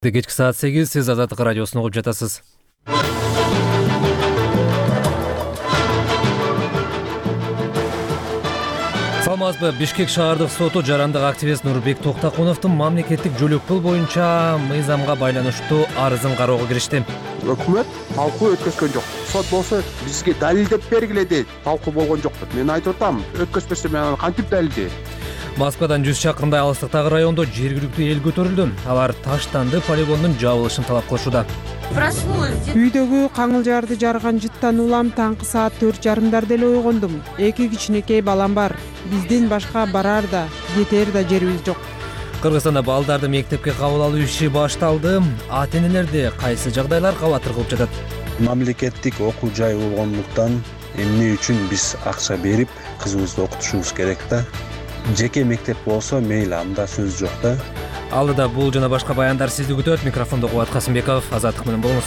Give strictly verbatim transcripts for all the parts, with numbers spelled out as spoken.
Кечки саат сегиз, сиз Азаттык радиосун угуп жатасыз. Саламатсызбы? Бишкек шаардык соту жарандык активист Нурбек Токтакуновдун мамлекеттик жөлөк пул боюнча мыйзамга байланыштуу арызын кароого киришти. Өкмөт талкуу өткөзгөн жок. Сот болсо бизге далилдеп бергиле дейт. Талкуу болгон жок деп. Мен айтып атам, өткөзбөсө мен аны кантип далилдейм? Москвадан жүз чакырымдай алыстыктагы райондо жергиликтүү эл көтөрүлдү. Алар таштанды полигондун жабылышын талап кылышууда. Үйдөгү каңылжарды жарган жыттан улам таңкы саат төрт жарымдарда эле ойгондум. Эки кичинекей балам бар. Биздин башка барар да, кетер да жерибиз жок. Кыргызстанда балдарды мектепке кабыл алуу иши башталды. Ата-энелерди кайсы жагдайлар кабатыр кылып жатат? Мамлекеттик окуу жай болгондуктан эмне үчүн биз акча берип кызыбызды окутушубуз керек да? Жеке мектеп болсо мейли, анда сөз жок да. Алдыда бул жана башка баяндар сизди күтөт. Микрофондо Кубат Касымбеков, Азаттык менен болуңуз.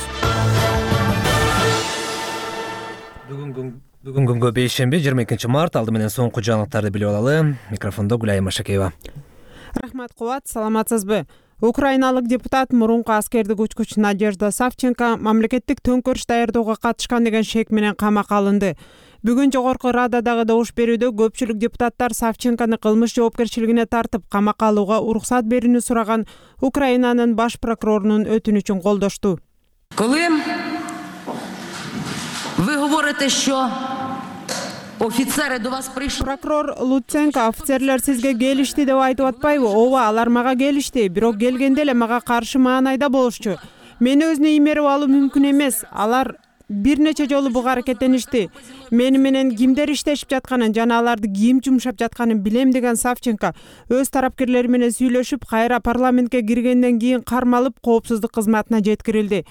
Бүгүн күнгө бейшемби, жыйырма экинчи март. Алды менен соңку жаңылыктарды билип алалы. Микрофондо Гүлайым Машакеева. Рахмат, Кубат, саламатсызбы? Украиналык депутат мурунку аскердик учкуч Надежда Савченко мамлекеттик төңкөрүш даярдоого катышкан деген шек менен камакка алынды. Бүгүн жогорку Рададагы добуш берүүдө көпчүлүк депутаттар Савченкону кылмыш жоопкерчилигине тартып, камакка алууга уруксат берүүнү сураган Украинанын баш прокурорунун өтүнүчүн колдошту. Коли ви говорите, що офицери до вас прийшли. Прокурор Луценко офицерлер сизге келишти деп айтып атпайбы? Ооба, алар мага келишти, бирок келгенде эле мага каршы маанайда болушчу. Мени өзүнө иймерип алуу мүмкүн эмес. Алар бир нече жолу буга аракеттеништи. Мени менен кимдер иштешип жатканын жана аларды ким жумшап жатканын билем деген Савченко өз тарапкерлери менен сүйлөшүп, кайра парламентке киргенден кийин кармалып, коопсуздук кызматына жеткирилди.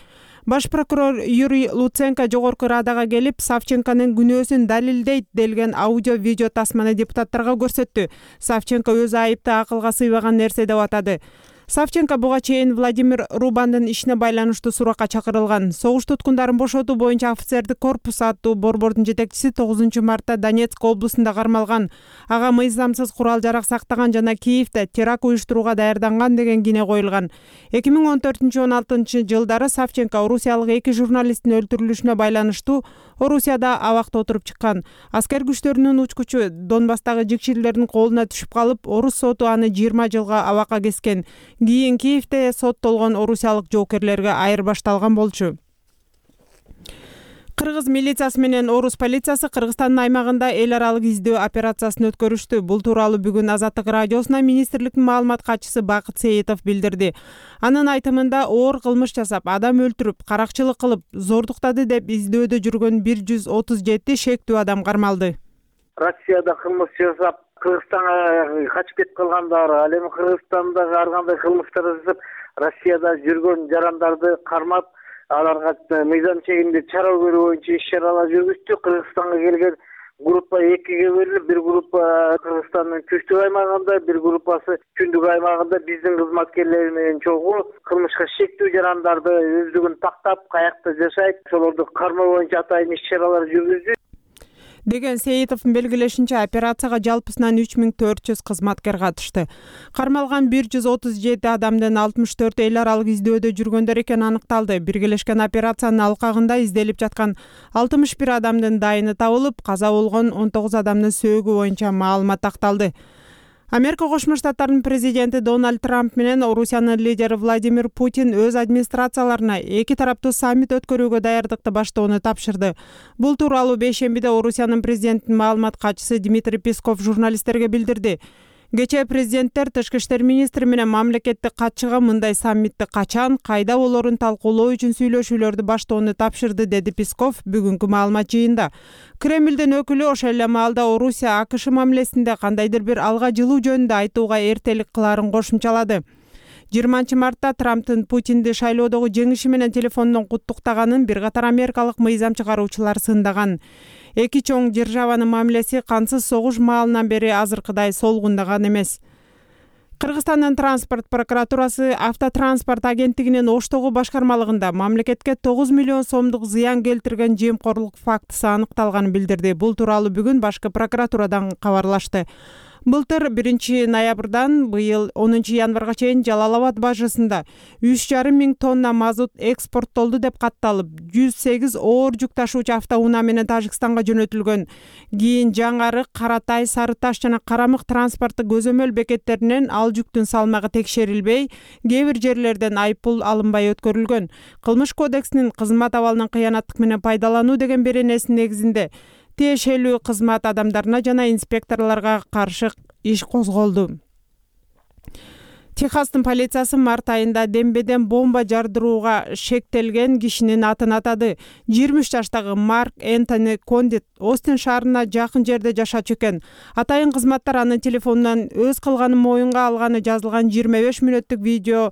Баш прокурор Юрий Луценко жогорку Радага келип, Савченконун күнөөсүн далилдейт делген аудио-видео тасманы депутаттарга көрсөттү. Савченко өз айыпты акылга сыйбаган нерсе деп атады. Савченко буга чейин Владимир Рубандын ишине байланыштуу суракка чакырылган. Согуш туткундарын бошотуу боюнча офицердик корпус аттуу борбордун жетекчиси тогузунчу мартта Донецк облусунда кармалган. Ага мыйзамсыз курал-жарак сактаган жана Киевде теракт уюштурууга даярданган деген кине коюлган. эки миң он төртүнчү он алтынчы жылдары Савченко орусиялык эки журналисттин өлтүрүлүшүнө байланыштуу Орусияда абакта отуруп чыккан. Аскер күчтөрүнүн учкучу Донбасстагы жикчилердин колуна түшүп калып, орус соту аны жыйырма жылга абакка кескен. Кийин Киевде соттолгон орусиялык жоокерлерге айырбашталган болчу. Кыргыз милициясы менен орус полициясы Кыргызстандын аймагында эл аралык издөө операциясын өткөрүштү. Бул тууралуу бүгүн Азаттык радиосуна министрликтин маалымат катчысы Бакыт Сейитов билдирди. Анын айтымында оор кылмыш жасап, адам өлтүрүп, каракчылык кылып, зордуктады деп издөөдө жүргөн бир жүз отуз жети шектүү адам кармалды. Россияда кылмыш жасап, Кыргызстанга качып кетип калгандар, ал эми Кыргызстандагы ар кандай кылмыштар жасап, Россияда жүргөн жарандарды кармап, аларга мыйзам чегинде чара көрүү боюнча иш-чаралар жүргүздү. Кыргызстанга келген группа экиге бөлүнүп, бир группа Кыргызстандын түштүк аймагында, бир группасы түндүк аймагында биздин кызматкерлер менен чогуу кылмышка шектүү жарандарды өздүгүн тактап, каякта жашайт, ошолорду кармоо боюнча атайын иш-чаралар жүргүздү деген Сейитовдун белгилешинче, операцияга жалпысынан үч миң төрт жүз кызматкер катышты. Кармалган бир жүз отуз жети адамдын алтымыш төртү эл аралык издөөдө жүргөндөр экени аныкталды. Биргелешкен операциянын алкагында изделип жаткан алтымыш бир адамдын дайыны табылып, каза болгон он тогуз адамдын сөөгү боюнча маалымат акталды. Америка Кошмо Штаттарынын президенти Дональд Трамп менен Орусиянын лидери Владимир Путин өз администрацияларына эки тараптуу саммит өткөрүүгө даярдыкты баштоону тапшырды. Бул тууралуу бейшембиде Орусиянын президентинин маалымат катчысы Дмитрий Песков журналисттерге билдирди. Кечээ президенттер тышкы иштер министри менен мамлекеттик катчыга мындай саммитти качан, кайда болорун талкуулоо үчүн сүйлөшүүлөрдү баштоону тапшырды, деди Песков бүгүнкү маалымат жыйында. Кремлдин өкүлү ошол эле маалда Орусия АКШ мамилесинде кандайдыр бир алга жылуу жөнүндө айтууга эртелик кылаарын кошумчалады. жыйырманчы мартта Трамптын Путинди шайлоодогу жеңиши менен телефондон куттуктаганын бир катар америкалык мыйзам чыгаруучулар сындаган. Эки чоң державанын мамилеси кансыз согуш маалынан бери азыркыдай солгундаган эмес. Кыргызстандын транспорт прокуратурасы Автотранспорт агенттигинин Оштогу башкармалыгында мамлекетке тогуз миллион сомдук зыян келтирген жемкорлук фактысы аныкталганын билдирди. Бул тууралуу бүгүн башкы прокуратурадан кабарлашты. Былтыр биринчи ноябрдан быйыл онунчу январга чейин Жалал Абад бажасында үч жарым миң тонна мазут экспорттолду деп катталып, жүз сегиз оор жүк ташуучу автоунаа менен Тажикстанга жөнөтүлгөн. Кийин Жаңарык, Каратай, Сары Таш жана Карамык транспорттук көзөмөл бекеттеринен ал жүктүн салмагы текшерилбей, кээ бир жерлерден айыппул алынбай өткөрүлгөн. Кылмыш кодексинин кызмат абалынан кыянаттык менен пайдалануу деген беренесинин негизинде тиешелүү кызмат адамдарына жана инспекторлорго каршы иш козголду. Техастын полициясы март айында дембеден бомба жардырууга шектелген кишинин атын атады. жыйырма үч жаштагы Марк Энтони Кондит Остин шаарына жакын жерде жашачу экен. Атайын кызматтар анын телефонунан өз кылганын моюнга алганы жазылган жыйырма беш мүнөттүк видео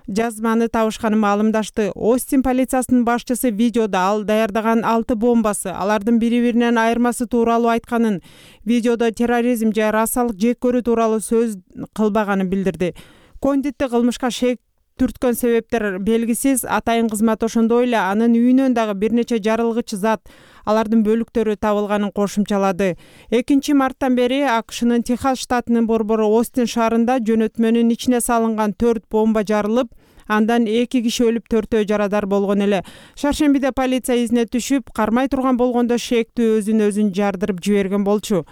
жазманы табышканын маалымдашты. Остин полициясынын башчысы видеодо ал даярдаган алты бомбасы, алардын бири-биринен айырмасы тууралуу айтканын, видеодо терроризм же расалык жек көрүү тууралуу сөз кылбаганын билдирди. Кондитти кылмышка шек түрткөн себептер белгисиз. Атайын кызмат ошондой эле анын үйүнөн дагы бир нече жарылгыч зат, алардын бөлүктөрү табылганын кошумчалады. экинчи марттан бери АКШнын Техас штатынын борбору Остин шаарында жөнөтмөнүн ичине салынган төрт бомба жарылып, андан эки киши өлүп, төртөө жарадар болгон эле. Шаршембиде полиция изине түшүп, кармай турган болгондо шектүү өзүн өзүн жардырып жиберген болчу.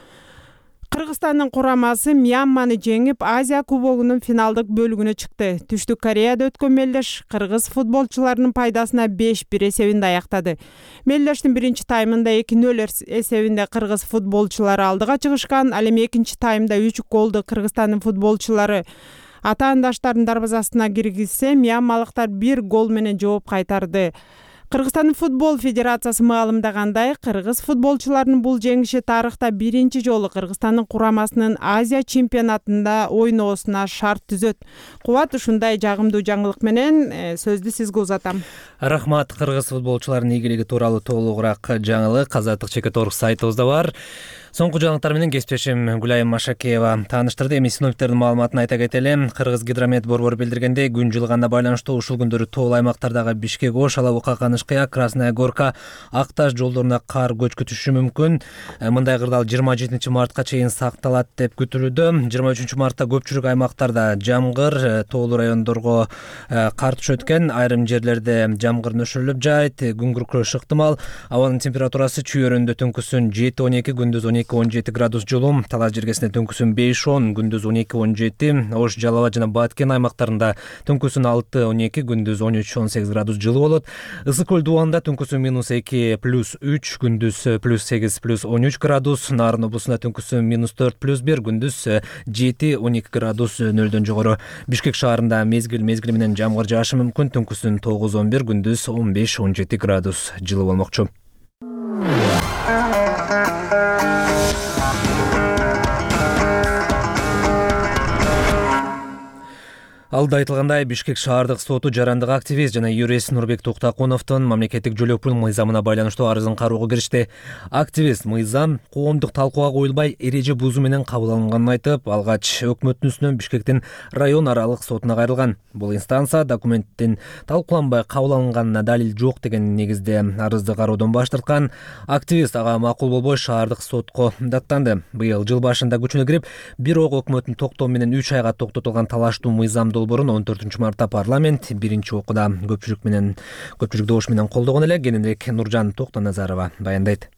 Кыргызстандын курамасы Мьянманы жеңип, Азия кубогунун финалдык бөлүгүнө чыкты. Түштүк Кореяда өткөн мелдеш кыргыз футболчуларынын пайдасына беш бир эсебинде аяктады. Мелдештин биринчи таймында эки нөл эсебинде кыргыз футболчулары алдыга чыгышкан. Ал эми экинчи таймда үч голду Кыргызстандын футболчулары атаандаштардын дарбазасына киргизсе, мьянмалыктар бир гол менен жооп кайтарды. Кыргызстандын футбол федерациясы маалымдагандай, кыргыз футболчуларынын бул жеңиши тарыхта биринчи жолу Кыргызстандын курамасынын Азия чемпионатында ойноосуна шарт түзөт. Кубат, ушундай жагымдуу жаңылык менен сөздү сизге узатам. Рахмат. Кыргыз футболчуларынын ийгилиги тууралуу толугураак жаңылык Азаттык чекит орг сайтыбызда бар. Соңку жаңылыктар менен кесиптешим Гүлайым Машакеева тааныштырды. Эми синоптиктердин маалыматын айта кетели. Кыргыз гидромет борбору билдиргендей, күн жылыганына байланыштуу ушул күндөрү тоол аймактардагы Бишкек, Ош, Алабука, Канышкыя, Красная Горка, Ак Таш жолдоруна кар көчкү түшүшү мүмкүн. Мындай кырдаал жыйырма жетинчи мартка чейин сакталат деп күтүлүүдө. жыйырма үчүнчү мартта көпчүлүк аймактарда жамгыр, тоолуу райондорго кар түшөт экен. Айрым жерлерде жамгыр нөшүрүлүп жайт, күн күркүрөшү ыктымал. Абанын температурасы чүйөрүндө түнкүсүн жети он эки, күндүз он эки он жети градус жылуу, Талас жергесинде түнкүсүн беш он, күндүз он эки он жети, Ош, Жалал Абад жана Баткен аймактарында түнкүсүн алты он эки, күндүз он үч он сегиз градус жылуу болот. Ысык көл дубалында түнкүсүн минус эки плюс үч, күндүз плюс сегиз плюс он үч градус, Нарын облусунда түнкүсүн минус төрт плюс бир, күндүз жети он эки градус нөлдөн жогору. Бишкек шаарында мезгил мезгили менен жамгыр жаашы мүмкүн, түнкүсүн тогуз он бир, күндүз он беш он жети градус жылуу болмокчу. Алда айтылгандай, Бишкек шаардык соту жарандык активист жана юрист Нурбек Токтакуновдун мамлекеттик жөлөк пул мыйзамына байланыштуу арызын кароого киришти. Активист мыйзам коомдук талкууга коюлбай эреже бузуу менен кабыл алынганын айтып, алгач өкмөттүн үстүнөн Бишкектин район аралык сотуна кайрылган. Бул инстанция документтин талкууланбай кабыл алынганына далил жок деген негизде арызды кароодон баш тарткан. Активист ага макул болбой шаардык сотко даттанды. Быйыл жыл башында күчүнө кирип, бирок өкмөттүн токтоо менен үч айга токтотулган талаштуу мыйзам долбоорун он төртүнчү мартта парламент биринчи окууда көпчүлүк менен көпчүлүк добуш менен колдогон эле. Кененирээк Нуржан Токтоназарова баяндайт.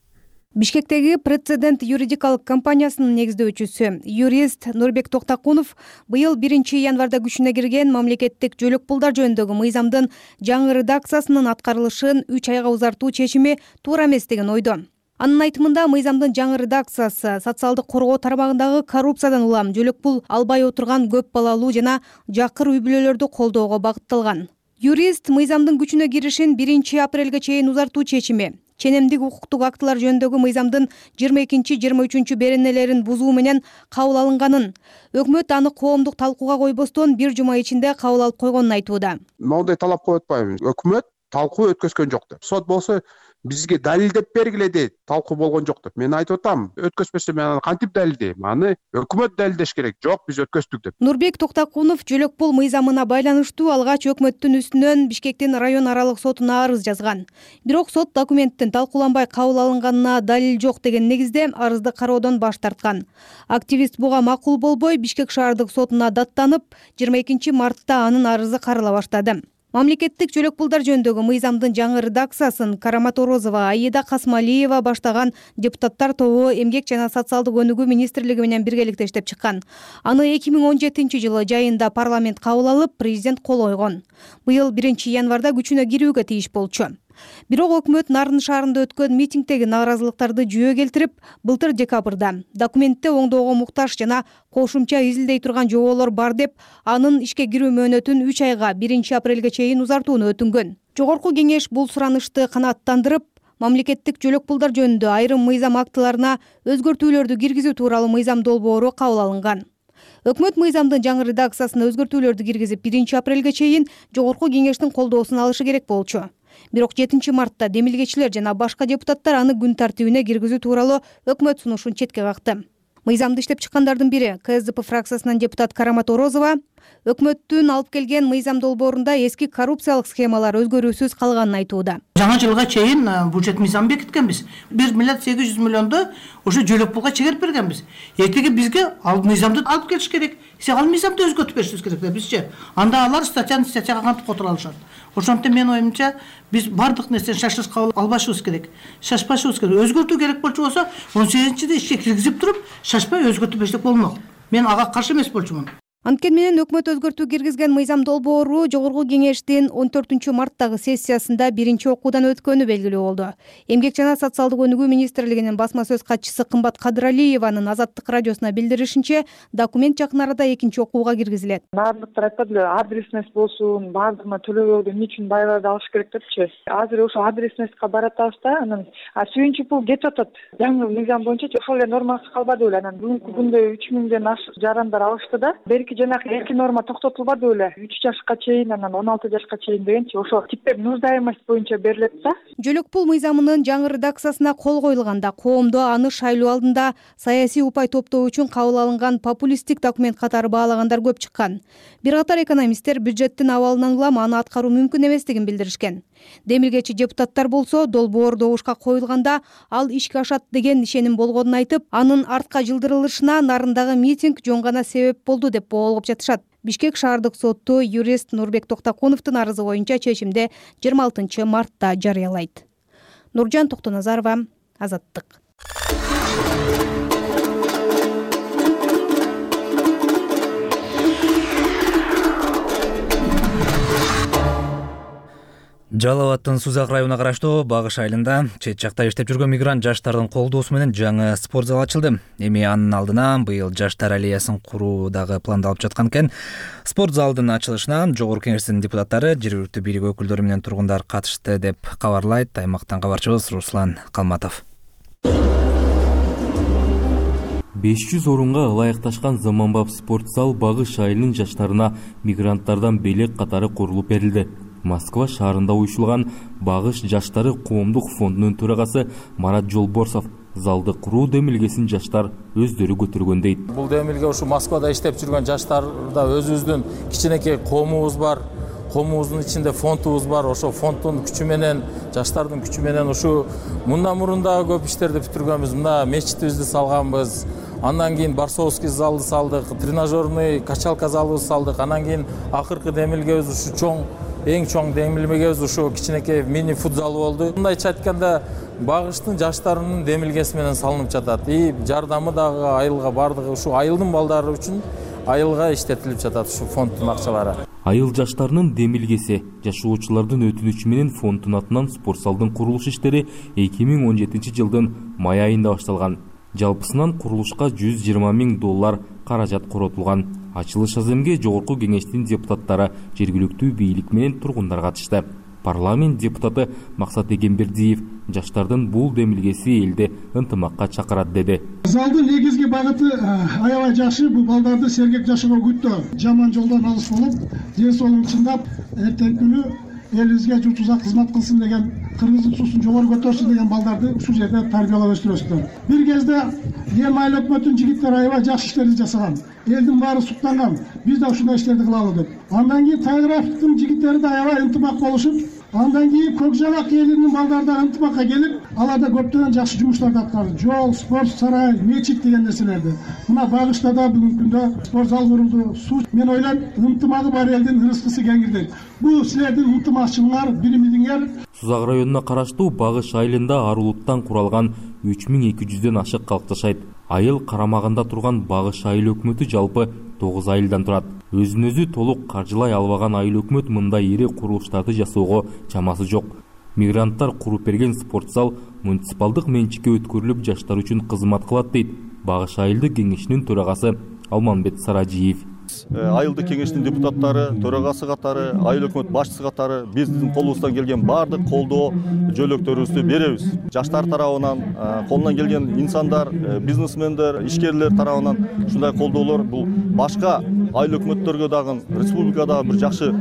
Бишкектеги Прецедент юридикалык компаниясынын негиздөөчүсү юрист Нурбек Токтакунов быйыл биринчи январда күчүнө кирген мамлекеттик жөлөк пулдар жөнүндөгү мыйзамдын жаңы редакциясынын аткарылышын үч айга узартуу чечими туура эмес деген ойдо. Анын айтымында, мыйзамдын жаңы редакциясы социалдык коргоо тармагындагы коррупциядан улам жөлөк пул албай отурган көп балалуу жана жакыр үй бүлөлөрдү колдоого багытталган. Юрист мыйзамдын күчүнө киришин биринчи апрелге чейин узартуу чечими ченемдик укуктук актылар жөнүндөгү мыйзамдын жыйырма экинчи жыйырма үчүнчү беренелерин бузуу менен кабыл алынганын, өкмөт аны коомдук талкууга койбостон бир жума ичинде кабыл алып койгонун айтууда. Моундай талап коюп атпайбыз. Өкмөт талкуу өткөзгөн жок деп. Сот болсо бизге далилдеп бергиле дейт. Талкуу болгон жок деп. Мен айтып атам, өткөзбөсө мен аны кантип далилдейм? Аны өкмөт далилдеш керек. Жок, биз өткөздүк деп. Нурбек Токтакунов Жөлөкпул мыйзамына байланыштуу алгач өкмөттүн үстүнөн Бишкектин район аралык сотуна арыз жазган. Бирок сот документтин талкууланбай кабыл алынганына далил жок деген негизде арызды кароодон баш тарткан. Активист буга макул болбой Бишкек шаардык сотуна даттанып, жыйырма экинчи мартта анын арызы карала баштады. Мамлекеттик жөлөкпулдар жөнүндөгү мыйзамдын жаңы редакциясын Караматорозова, Аида Касмалиева баштаган депутаттар тобу Эмгек жана социалдык өнүгүү министрлиги менен биргеликте иштеп чыккан. Аны эки миң он жетинчи жылы жайында парламент кабыл алып, президент кол койгон. Быйыл биринчи январда күчүнө кирүүгө тийиш болчу. Бирок өкмөт Нарын шаарында өткөн митингдеги нааразылыктарды жүйө келтирип, былтыр декабрда документте оңдоого муктаж жана кошумча изилдей турган жоболор бар деп, анын ишке кирүү мөөнөтүн үч айга биринчи апрелге чейин узартууну өтүнгөн. Жогорку кеңеш бул суранышты канааттандырып, мамлекеттик жөлөкпулдар жөнүндө айрым мыйзам актыларына өзгөртүүлөрдү киргизүү тууралуу мыйзам долбоору кабыл алынган. Өкмөт мыйзамдын жаңы редакциясына өзгөртүүлөрдү киргизип, биринчи апрелге чейин жогорку кеңештин колдоосун алышы керек болчу. Бирок жетинчи мартта демилгечилер жана башка депутаттар аны күн тартибине киргизүү тууралуу өкмөт сунушун четке какты. Мыйзамды иштеп чыккандардын бири КСДП фракциясынан депутат Караматорозова өкмөттүн алып келген мыйзам долбоорунда эски коррупциялык схемалар өзгөрүүсүз калганын айтууда. Жаңа жылга чейин бюджет мыйзам бекиткенбиз. бир миллиард сегиз жүз миллионду ошо жөлөкпулга чегерип бергенбиз. Эртеге бизге ал мыйзамды алып келиш керек. Сен ал мыйзамды өзгөртүп беришибиз керек да бизче. Анда алар статьяны статьяга кантип которо алышат. Ошондуктан менин оюмча биз бардык нерсени шашырсыз кабыл албашыбыз керек. Шашпашыбыз керек. Өзгөртүү керек болчу болсо он сегизинчиде ишке киргизип туруп, шашпай өзгөртүп берсек болмок. Мен ага каршы эмес болчумун. Анткени менен өкмөт өзгөртүү киргизген мыйзам долбоору жогорку кеңештин он төртүнчү марттагы сессиясында биринчи окуудан өткөнү белгилүү болду. Эмгек жана социалдык өнүгүү министрлигинин басма сөз катчысы Кымбат Кадыралиеванын Азаттык радиосуна билдиришинче, документ жакын арада экинчи окууга киргизилет. Баардыктар айтпады эле, адресность болсун, баардыгына төлөбөгдү эмне үчүн байларды алыш керек депчи. Азыр ошо адресностька баратабыз да, анан сүйүнчү пул кетип атат. Жаңы мыйзам боюнча ошол эле нормасы калбады беле. Анан бүгүнкү күндө үч миңден ашык жарандар алышты да. Жанагы эки норма токтотулбады беле. үч жашка чейин, анан он алты жашка чейин дегенчи, ошо типтеп нуждаемость боюнча берилет да. Жөлөкпул мыйзамынын жаңы редакциясына кол коюлганда коомдо аны шайлоо алдында саясий упай топтоо үчүн кабыл алынган популисттик документ катары баалагандар көп чыккан. Бир катар экономисттер бюджеттин абалынан улам аны аткаруу мүмкүн эместигин билдиришкен. Демилгечи депутаттар болсо долбоор добушка коюлганда ал ишке ашат деген ишеним болгонун айтып, анын артка жылдырылышына Нарындагы митинг жөн гана себеп болду деп боолгоп жатышат. Бишкек шаардык соту юрист Нурбек Токтакуновдун арызы боюнча чечимди жыйырма алтынчы мартта жарыялайт. Нуржан Токтоназарова, Азаттык. Жалал Абадтын Сузак районуна караштуу Багыш айылында чет жакта иштеп жүргөн мигрант жаштардын колдоосу менен жаңы спорт зал ачылды. Эми анын алдына быйыл жаштар аллеясын куруу дагы пландалып жаткан экен. Спорт залдын ачылышына жогорку кеңештин депутаттары, жергиликтүү бийлик өкүлдөрү менен тургундар катышты деп кабарлайт аймактан кабарчыбыз Руслан Калматов. беш жүз орунга ылайыкташкан заманбап спорт зал Багыш айылынын жаштарына мигранттардан белек катары курулуп берилди. Москва шаарында уюшулган Багыш жаштары коомдук фондунун төрагасы Марат Жолборсов залды куруу демилгесин жаштар өздөрү көтөргөн дейт. Бул демилге ушу Москвада иштеп жүргөн жаштарда өзүбүздүн кичинекей коомубуз бар. Коомубуздун ичинде фондубуз бар. Ошо фонддун күчү менен, жаштардын күчү менен ушу мындан мурун дагы көп иштерди бүтүргөнбүз. Мына мечитибизди салганбыз. Андан кийин Барсовский залды салдык, тренажерный качалка залыбызды салдык. Андан кийин акыркы демилгебиз ушу чоң эң чоң демилгебиз ушу кичинекей мини футзал болду. Мындайча айтканда Багыштын жаштарынын демилгеси менен салынып жатат. И жардамы дагы айылга бардыгы ушу айылдын балдары үчүн айылга иштетилип жатат ушу фонддун акчалары. Айыл жаштарынын демилгеси жашоочулардын өтүнүчү менен фонддун атынан спорт залдын курулуш иштери эки миң он жетинчи жылдын май айында башталган. Жалпысынан курулушка жүз жыйырма миң доллар каражат коротулган. Ачылыш аземге жогорку кеңештин депутаттары, жергиликтүү бийлик менен тургундар катышты. Парламент депутаты Максат Эгембердиев жаштардын бул демилгеси элди ынтымакка чакырат деди. Залдын негизги багыты аябай жакшы, бул балдарды сергек жашоого күттөө, жаман жолдон алыс болуп, ден соолугун чыңдап, эртеңки күнү элибизге журтубузга кызмат кылсын деген кыргыздын суусун жогору көтөрсүн деген балдарды ушул жерде тарбиялап өстүрөсүздөр. Бир кезде эми айыл өкмөтүнүн жигиттери аябай жакшы иштерди жасаган. Элдин баары суктанган. Биз да ушундай иштерди кылалы деп. Андан кийин Тайгыровдун жигиттери да аябай ынтымак болушуп, андан кийин Көк Жабак элинин балдары да ынтымакка келип, алар да көптөгөн жакшы жумуштарды аткарды. Жол, спорт сарай, мечит деген нерселерди. Мына Багышта да бүгүнкү күндө спорт зал курулду. Суу, мен ойлойм, ынтымагы бар элдин ырыскысы кеңирдейт. Бул силердин ынтымакчылыгыңар, биримиңер. Сузак районуна караштуу Багыш айылында арулуктан куралган үч миң эки жүздөн ашык калк жашайт. Айыл карамагында турган Багыш айыл өкмөтү жалпы тогуз айылдан турат. Өзүн өзү толук каржылай албаган айыл өкмөт мындай ири курулуштарды жасоого чамасы жок. Мигранттар куруп берген спорт зал муниципалдык менчикке өткөрүлүп жаштар үчүн кызмат кылат дейт Багыш айылдык кеңешинин төрагасы Алманбет Саражиев. Айылдык кеңештин депутаттары, төрагасы катары, айыл өкмөт башчысы катары биздин колубуздан келген баардык колдоо жөлөктөрүбүздү беребиз. Жаштар тарабынан, колунан келген инсандар, бизнесмендер, ишкерлер тарабынан ушундай колдоолор бул башка айыл өкмөттөргө дагы республикада бир жакшы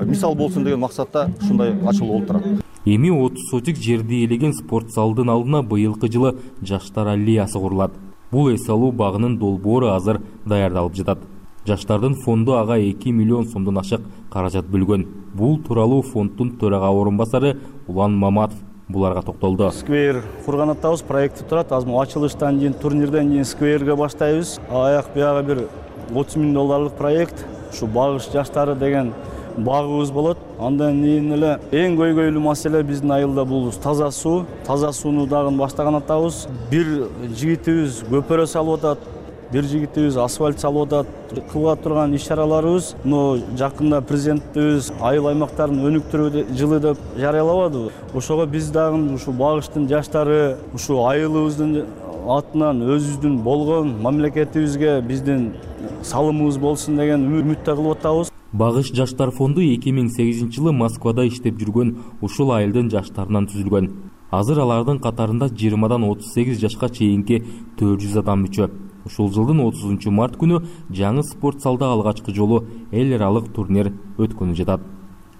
мисал болсун деген максатта ушундай ачылуу болуп турат. Эми отуз сотик жерди ээлеген спорт залдын алдына быйылкы жылы жаштар аллеясы курулат. Бул эс алуу багынын долбоору азыр даярдалып жатат. Жаштардын фонду ага эки миллион сомдон ашык каражат бөлгөн. Бул тууралуу фонддун төрага орун басары Улан Маматов буларга токтолду. Сквер курган атабыз, проекти турат. Азыр ачылыштан кийин, турнирден кийин скверге баштайбыз. Аяк бияга бир отуз миң долларлык проект. Ушу Багыш жаштары деген багыбыз болот. Андан кийин эле эң көйгөйлүү маселе биздин айылда бул таза суу. Таза сууну дагы баштаган атабыз. Бир жигитибиз көпөрө салып атат. Бир жигитибиз асфальт салып атат. Кылга турган иш-чараларыбыз, но жакында президентибиз айыл аймактарын өнүктүрүү жылы деп жарыялабадыбы? Ошого биз дагы ушу Багыштын жаштары, ушу айылыбыздын атынан өзүбүздүн болгон мамлекетибизге биздин салымыбыз болсун деген үмүттө кылып атабыз. Багыш жаштар фонду эки миң сегизинчи жылы Москвада иштеп жүргөн ушул айылдын жаштарынан түзүлгөн. Азыр алардын катарында жыйырмадан отуз сегиз жашка чейинки төрт жүз адам мүчө. Ушул жылдын отузунчу март күнү жаңы спорт залда алгачкы жолу эл аралык турнир өткөнүп жатат.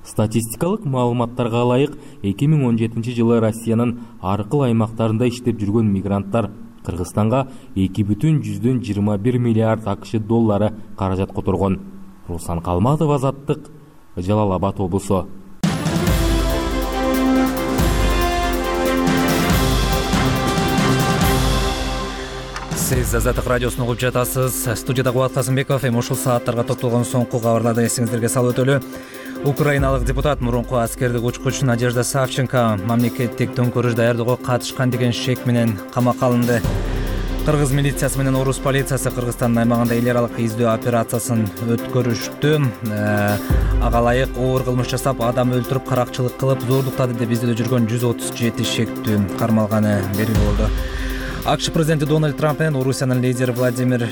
Статистикалык маалыматтарга ылайык, эки миң он жетинчи жылы Россиянын ар кыл аймактарында иштеп жүргөн мигранттар Кыргызстанга эки бүтүн жүздөн жыйырма бир миллиард акш доллары каражат которгон. Руслан Калматов, Азаттык, Жалал Абад облусу. Сиз Азаттык радиосун угуп жатасыз. Студияда Кубат Касымбеков. Эми ушул сааттарга топтолгон соңку кабарларды эсиңиздерге салып өтөлү. Украиналык депутат мурунку аскердик учкуч Надежда Савченко мамлекеттик төңкөрүш даярдоого катышкан деген шек менен камакка алынды. Кыргыз милициясы менен орус полициясы Кыргызстандын аймагында эл аралык издөө операциясын өткөрүштү. Ага ылайык оор кылмыш жасап, адам өлтүрүп, каракчылык кылып, зордуктады деп издөөдө жүргөн жүз отуз жети шектүү кармалганы белгилүү болду. АКШ президенти Дональд Трамп менен Орусиянын лидери Владимир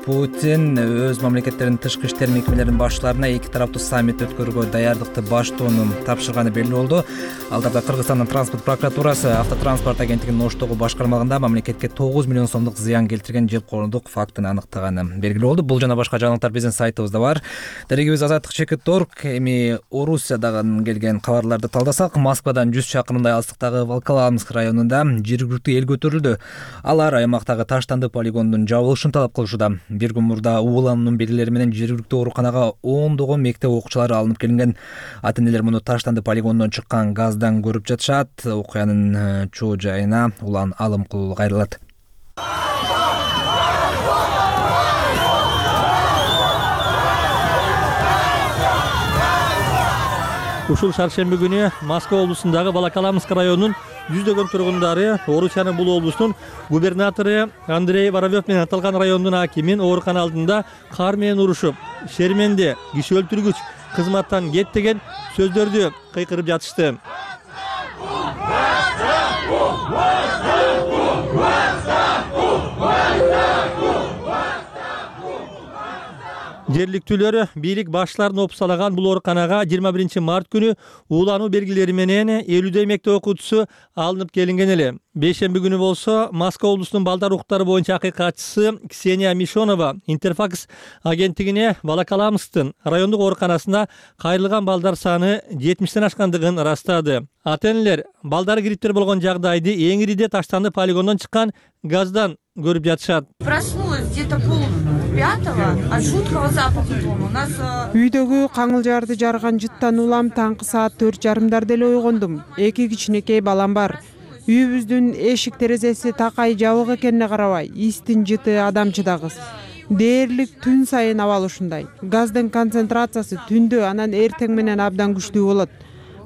Путин өз мамлекеттеринин тышкы иштер мекемелеринин башчыларына эки тараптуу саммит өткөрүүгө даярдыкты баштоону тапшырганы белгилүү болду. Алдарда Кыргызстандын транспорт прокуратурасы автотранспорт агенттигинин Оштогу башкармалыгында мамлекетке тогуз миллион сомдук зыян келтирген жемкорлук фактын аныктаганы белгилүү болду. Бул жана башка жаңылыктар биздин сайтыбызда бар. Дарегибиз Азаттык чекит точка орг. Эми Орусиядан келген кабарларды талдасак, Москвадан жүз чакырымдай алыстыктагы Волоколамск районунда жергиликтүү эл көтөрүлдү. Алар аймактагы таштанды полигондун жабылышын талап кылышууда. Бир күн мурда уулануунун белгилери менен жергиликтүү ооруканага ондогон мектеп окуучулары алынып келинген. Ата-энелер муну таштанды полигондон чыккан газдан көрүп жатышат. Окуянын чоо жайына Улан Алымкул кайрылат. Ушул шаршемби күнү Москва облусундагы Волоколамск районунун жүздөгөн тургундары Орусиянын бул облустун губернатору Андрей Воробьев менен аталган райондун акимин оорукана алдында кар менен урушуп, шерменде, киши өлтүргүч, кызматтан кет деген сөздөрдү кыйкырып жатышты. Жергиликтүүлөр бийлик башчыларын опсалаган бул ооруканага жыйырма биринчи март күнү уулануу белгилери менен элүүдөй мектеп окуучусу алынып келинген эле. Бейшемби күнү болсо Москва облусунун балдар укуктары боюнча акыйкатчысы Ксения Мишонова Интерфакс агенттигине бала каламыстын райондук ооруканасына кайрылган балдар саны жетимиштен ашкандыгын ырастады. Ата-энелер балдар кириптер болгон жагдайды эң ириде Таштанды полигондон чыккан газдан көрүп жатышат. Проснулась где-то пол пятого от жуткого запаха дома. У нас Үйдөгү каңылжарды жарган жыттан улам таңкы саат төрт жарымдарда эле ойгондум. Эки кичинекей балам бар. Үйүбүздүн эшик терезеси такай жабык экенине карабай, истин жыты адамчы да кыз. Дээрлик түн сайын абал ушундай. Газдын концентрациясы түндө анан эртең менен абдан күчтүү болот.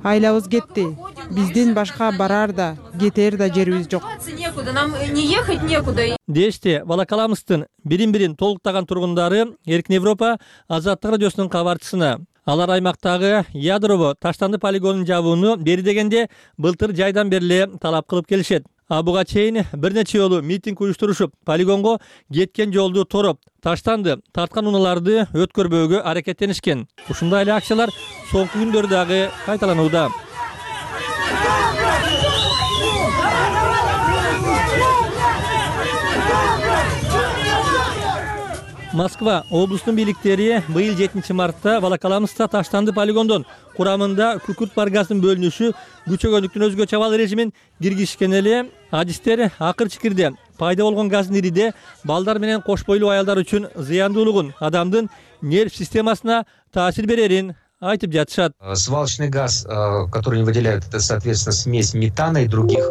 Айлабыз кетти. Биздин башка барар да, кетер да жерибиз жок. некуда, нам не ехать некуда. Дешти бала каламыстын бирин-бирин толуктаган тургундары Эркин Европа Азаттык радиосунун кабарчысына. Алар аймактагы ядрово Таштанды полигонун жабууну бери дегенде былтыр жайдан бери талап кылып келишет. А буга чейин бир нече жолу митинг уюштурушуп, полигонго кеткен жолду тороп, Таштанды тарткан унааларды өткөрбөөгө аракеттенишкен. Ушундай эле акциялар соңку күндөрдө дагы кайталанууда. Москва облустун бийликтери быйыл жетинчи мартта бала каламыста Таштанды полигондон курамында күкүрт бар газдын бөлүнүшү күчөгөндүктүн өзгөчө абал режимин киргизишкен эле. Адистер акыр чикирде пайда болгон газдын ириде балдар менен кош бойлуу аялдар үчүн зыяндуулугун, адамдын нерв системасына таасир берерин айтып жатышат. Свалочный газ, который они выделяют, это, соответственно, смесь метана и других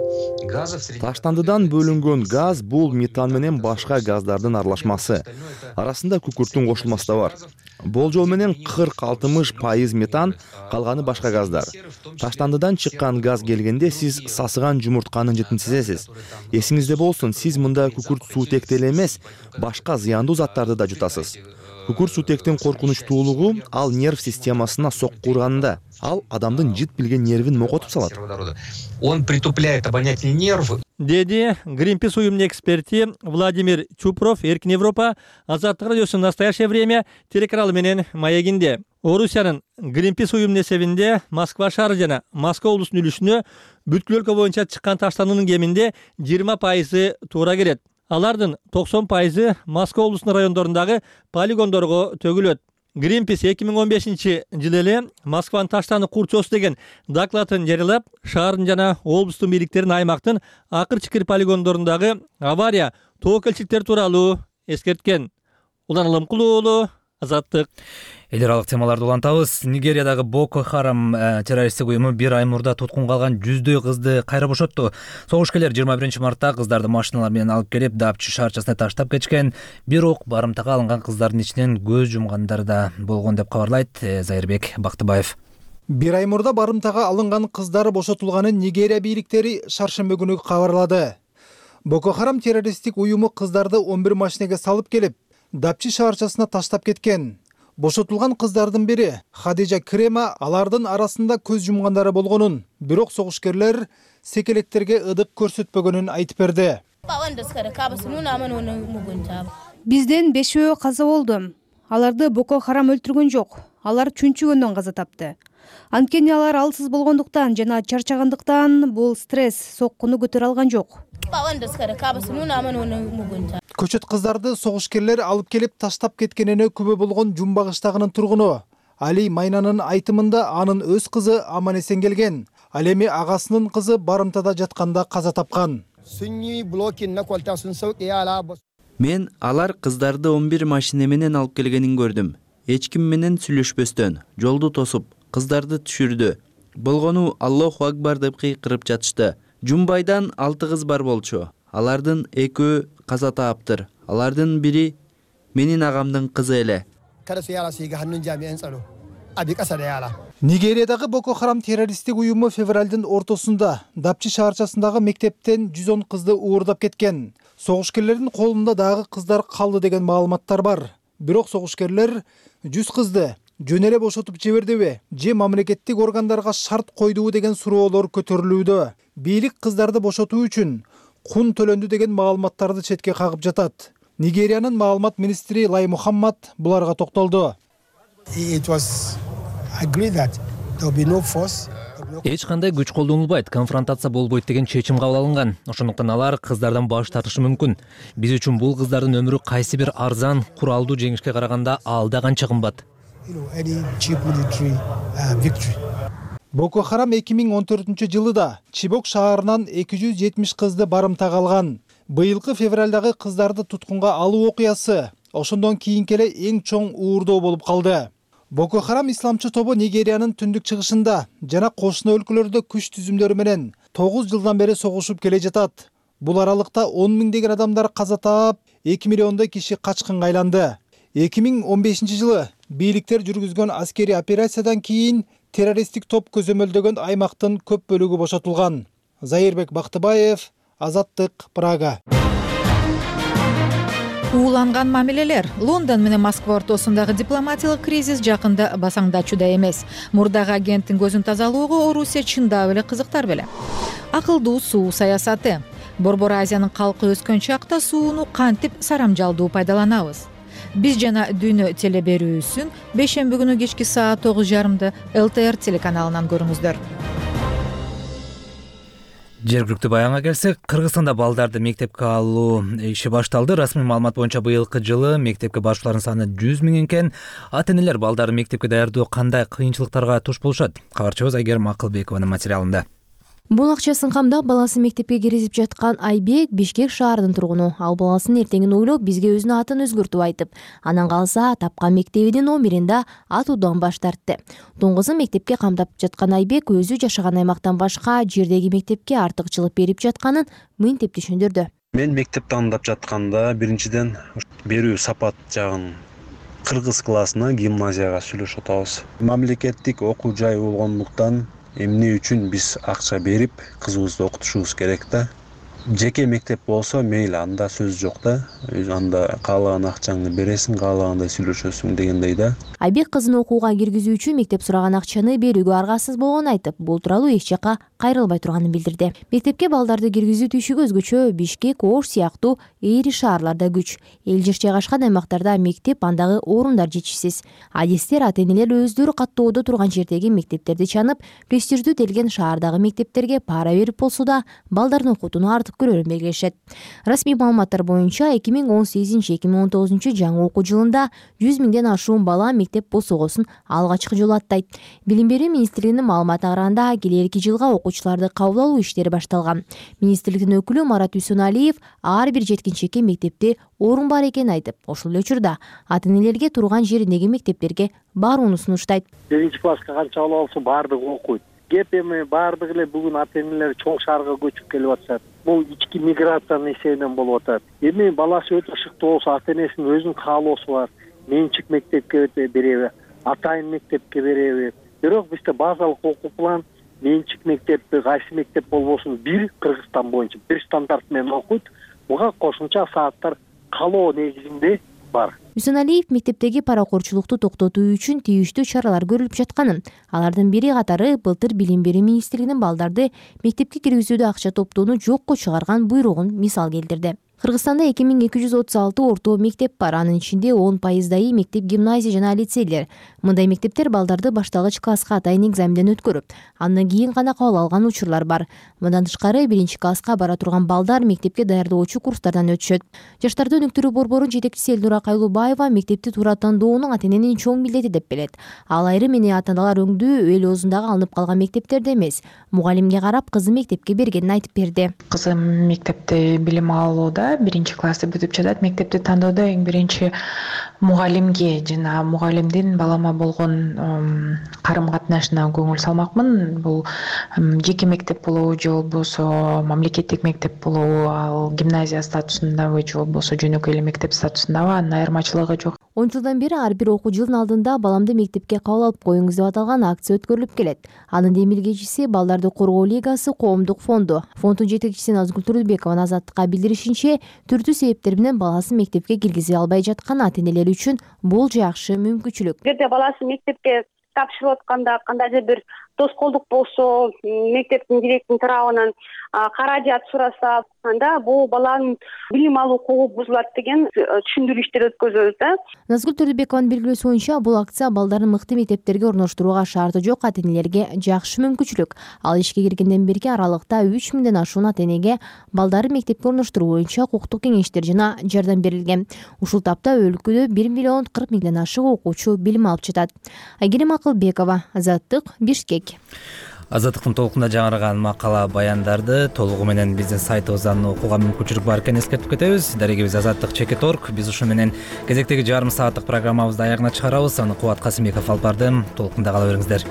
газов. Таштандыдан бөлүнгөн газ бул метан менен башка газдардын аралашмасы. Арасында күкүрттүн кошулмасы да бар. Болжол менен кырк алтымыш пайыз метан, калганы башка газдар. Таштандыдан чыккан газ келгенде сиз сасыган жумуртканын жытын сезесиз. Эсиңизде болсун, сиз мында күкүрт суутекти эле эмес, башка зыяндуу заттарды да жутасыз. Күкүрт суутектин коркунучтуулугу ал нерв системасына сокку урганда, ал адамдын жыт билген нервин мокотуп салат. Он притупляет обонятельный нерв. Деди Greenpeace уюмунун эксперти Владимир Чупров Эркин Европа Азаттык радиосунун настоящее время телеканалы менен маегинде. Орусиянын Greenpeace уюмунун эсебинде Москва шаары жана Москва облусунун үлүшүнө бүткүл өлкө боюнча чыккан таштандынын кеминде жыйырма пайызы туура келет. Алардын токсон пайызы Москва облусунун райондорундагы полигондорго төгүлөт. Greenpeace эки миң он бешинчи жылы эле Москванын Таштанды курчосу деген докладын жарыялап, шаардын жана облустун бийликтерин аймактын акыр чикир полигондорундагы авария, тобокелчиликтер тууралуу эскерткен. Улан Алымкулуу уулу, Азаттык. Эл аралык темаларды улантабыз. Нигериядагы Боко Харам террористтик уюму бир ай мурда туткун калган жүздөй кызды кайра бошотту. Согушкерлер жыйырма биринчи мартта кыздарды машиналар менен алып келип, Дапчы шаарчасына таштап кетишкен. Бирок барымтага алынган кыздардын ичинен көз жумгандар да болгон деп кабарлайт Зайырбек Бактыбаев. Бир ай мурда барымтага алынган кыздар бошотулганын Нигерия бийликтери шаршемби күнү кабарлады. Боко Харам террористтик уюму кыздарды он бир машинеге салып келип, Дапчы шаарчасына таштап кеткен. Бошотулган кыздардын бири Хадижа Крема алардын арасында көз жумгандары болгонун, бирок согушкерлер секелектерге ыдык көрсөтпөгөнүн айтып берди. Бизден бешөө каза болду. Аларды Боко Харам өлтүргөн жок. Алар чүнчүгөндөн каза тапты. Анткени алар алсыз болгондуктан жана чарчагандыктан бул стресс соккуну көтөрө алган жок. Көчөт кыздарды согушкерлер алып келип таштап кеткенине күбө болгон Жумбагыштагынын тургуну Али Майнанын айтымында анын өз кызы аман эсен келген. Ал эми агасынын кызы барымтада жатканда каза тапкан. Мен алар кыздарды он бир машина менен алып келгенин көрдүм. Эч ким менен сүйлөшпөстөн жолду тосуп кыздарды түшүрдү. Болгону Аллаху акбар деп кыйкырып жатышты. Жумбайдан алты кыз бар болчу. Алардын экөө каза тааптыр. Алардын бири менин агамдын кызы эле. Нигериядагы Боко Харам террористтик уюму февралдын ортосунда Дапчы шаарчасындагы мектептен жүз он кызды уурдап кеткен. Согушкерлердин колунда дагы кыздар калды деген маалыматтар бар. Бирок согушкерлер жүз кызды жөн эле бошотуп жибердиби же мамлекеттик органдарга шарт койдубу деген суроолор көтөрүлүүдө. Бийлик кыздарды бошотуу үчүн кун төлөндү деген маалыматтарды четке кагып жатат. Нигериянын маалымат министри Лай Мухаммад буларга токтолду. Эч кандай күч колдонулбайт, конфронтация болбойт деген чечим кабыл алынган. Ошондуктан алар кыздардан баш тартышы мүмкүн. Биз үчүн бул кыздардын өмүрү кайсы бир арзан, куралдуу жеңишке караганда алда канча кымбат. Боко Харам эки миң он төртүнчү жылы да Чибок шаарынан эки жүз жетимиш кызды барымтага алган. Быйылкы февралдагы кыздарды туткунга алуу окуясы ошондон кийинки эле эң чоң уурдоо болуп калды. Боко Харам исламчы тобу Нигериянын түндүк чыгышында жана кошуна өлкөлөрдө күч түзүмдөрү менен тогуз жылдан бери согушуп келе жатат. Бул аралыкта он миңдеген адамдар каза таап, эки миллиондой киши качкынга айланды. эки миң он бешинчи жылы бийликтер жүргүзгөн аскерий операциядан кийин террористтик топ көзөмөлдөгөн аймактын көп бөлүгү бошотулган. Заирбек Бактыбаев, Азаттык, Прага. Ууланган мамилелер. Лондон менен Москва ортосундагы дипломатиялык кризис жакында басаңдачууда эмес. Мурдагы агенттин көзүн тазалоого Орусия чындап эле кызыктар беле. Акылдуу суу саясаты. Борбор Азиянын калкы өскөн чакта сууну кантип сарамжалдуу пайдаланабыз? Биз жана Дүйнө теле берүүсүн бейшемби күнү кечки саат тогуз жарымда эл тэ эр телеканалынан көрүңүздөр. Жергиликтүү баянга келсек, Кыргызстанда балдарды мектепке алуу иши башталды. Расмий маалымат боюнча быйылкы жылы мектепке баруучулардын саны жүз миң экен. Ата-энелер балдарын мектепке даярдоо кандай кыйынчылыктарга туш болушат? Кабарчыбыз Айгерим Акылбекованын материалында. Бул акчасын камдап баласын мектепке киргизип жаткан Айбек Бишкек шаарынын тургуну. Ал баласынын эртеңин ойлоп, бизге өзүнүн атын өзгөртүп айтып, анан калса тапкан мектебинин номеринде атуудан баш тартты. Тоңгузун мектепке камдап жаткан Айбек өзү жашаган аймактан башка жердеги мектепке артыкчылык берип жатканын мынтип түшүндүрдү. Мен мектепти андап жатканда биринчиден берүү сапат жагын кыргыз классына гимназияга сүйлөшүп атабыз. Мамлекеттик окуу жай болгондуктан эмне үчүн биз акча берип кызыбызды окутушубуз керек да. Жеке мектеп болсо мейли, анда сөз жок да. Анда каалаган акчаңды бересиң, каалагандай сүйлөшөсүң дегендей да. Айбек кызын окууга киргизүү үчүн мектеп сураган акчаны берүүгө аргасыз болгонун айтып, бул тууралуу эч жака кайрылбай турганын билдирди. Мектепке балдарды киргизүү түйшүгү өзгөчө Бишкек, Ош сыяктуу эри шаарларда күч. Эл жер жайгашкан аймактарда мектеп, андагы орундар жетишсиз. Адистер ата-энелер өздөрү каттоодо турган жердеги мектептерди чанып, престиждүү делген шаардагы мектептерге пара берип болсо да балдарын окутууну артык көрөрүн белгилешет. Расмий маалыматтар боюнча эки миң он сегизинчи эки миң он тогузунчу жаңы окуу жылында жүз миңден ашуун бала мектеп босогосун алгачкы жолу аттайт. Билим берүү министрлигинин маалыматына караганда, келерки жылга окуучуларды кабыл алуу иштери башталган. Министрликтин өкүлү Марат Үсөналиев ар бир жеткинчекке мектепте орун бар экенин айтып, ошол эле учурда ата-энелерге турган жериндеги мектептерге барууну сунуштайт. Биринчи класска канча бала болсо баардыгы окуйт. Кеп эми баардыгы эле бүгүн ата-энелер чоң шаарга көчүп келип атышат. Бул ички миграциянын эсебинен болуп атат. Эми баласы өтө шыктуу болсо, ата-энесинин өзүнүн каалоосу бар. Менчик мектепке береби, атайын мектепке береби. Бирок бизде базалык окуу план менчик мектепти, кайсы мектеп болбосун бир Кыргызстан боюнча бир стандарт менен окуйт. Буга кошумча сааттар каалоо негизинде бар. Үсөналиев мектептеги паракорчулукту токтотуу үчүн тийиштүү чаралар көрүлүп жатканын, алардын бири катары былтыр Билим берүү министрлигинин балдарды мектепке киргизүүдө акча топтоону жокко чыгарган буйругун мисал келтирди. Кыргызстанда эки миң эки жүз отуз алты орто мектеп бар, анын ичинде он пайыздай мектеп, гимназия жана лицейлер. Мындай мектептер балдарды башталгыч класска атайын экзаменден өткөрүп, андан кийин гана кабыл алган учурлар бар. Мындан тышкары биринчи класска бара турган балдар мектепке даярдоочу курстардан өтүшөт. Жаштарды өнүктүрүү борборунун жетекчиси Элнура Кайлубаева мектепти туура тандоонун ата-эненин чоң милдети деп билет. Ал айрым эне ата-аналар өңдүү эл оозундагы алынып калган мектептерде эмес, мугалимге карап кызы мектепке бергенин айтып берди. Кызым мектепте билим алууда биринчи классты бүтүп жатат. Мектепти тандоодо эң биринчи мугалимге жана мугалимдин балама болгон карым-катнашына көңүл салмакмын. Бул жеке мектеп болобу же болбосо мамлекеттик мектеп болобу, ал гимназия статусундабы же болбосо жөнөкөй эле мектеп статусундабы, анын айырмачылыгы жок. он жылдан бери ар бир окуу жылдын алдында баламды мектепке кабыл алып коюңуз деп аталган акция өткөрүлүп келет. Анын демилгечиси Балдарды коргоо лигасы коомдук фонду. Фонддун жетекчиси Назгүл Турдубекованын Азаттыкка билдиришинче, түрдүү себептер менен баласын мектепке киргизе албай жаткан ата-энелер үчүн бул жакшы мүмкүнчүлүк. Эгерде баласы мектепке тапшырып атканда кандайдыр бир тоскоолдук болсо, мектептин директорунун тарабынан каражат сураса, анда бул баланын билим алуу укугу бузулат деген түшүндүрүү өткөзөбүз да. Назгүл Төрдөбекованын белгилөөсү боюнча бул акция балдарын мыкты мектептерге орноштурууга шарты жок ата энелерге жакшы мүмкүнчүлүк. Ал ишке киргенден берки аралыкта үч миңден ашуун ата энеге балдарын мектепке орноштуруу боюнча укуктук кеңештер жана жардам берилген. Ушул тапта өлкөдө бир миллион кырк миңден ашык окуучу билим алып жатат. Айгерим Акылбекова, Азаттык, Бишкек. Азаттыктын толкунда жаңырган макала баяндарды толугу менен биздин сайтыбыздан окууга мүмкүнчүлүк бар экенин эскертип кетебиз. Дарегибиз Азаттык чекит точка орг. Биз ушу менен кезектеги жарым сааттык программабызды аягына чыгарабыз. Аны Кубат Касымбеков алып барды. Толкунда кала бериңиздер.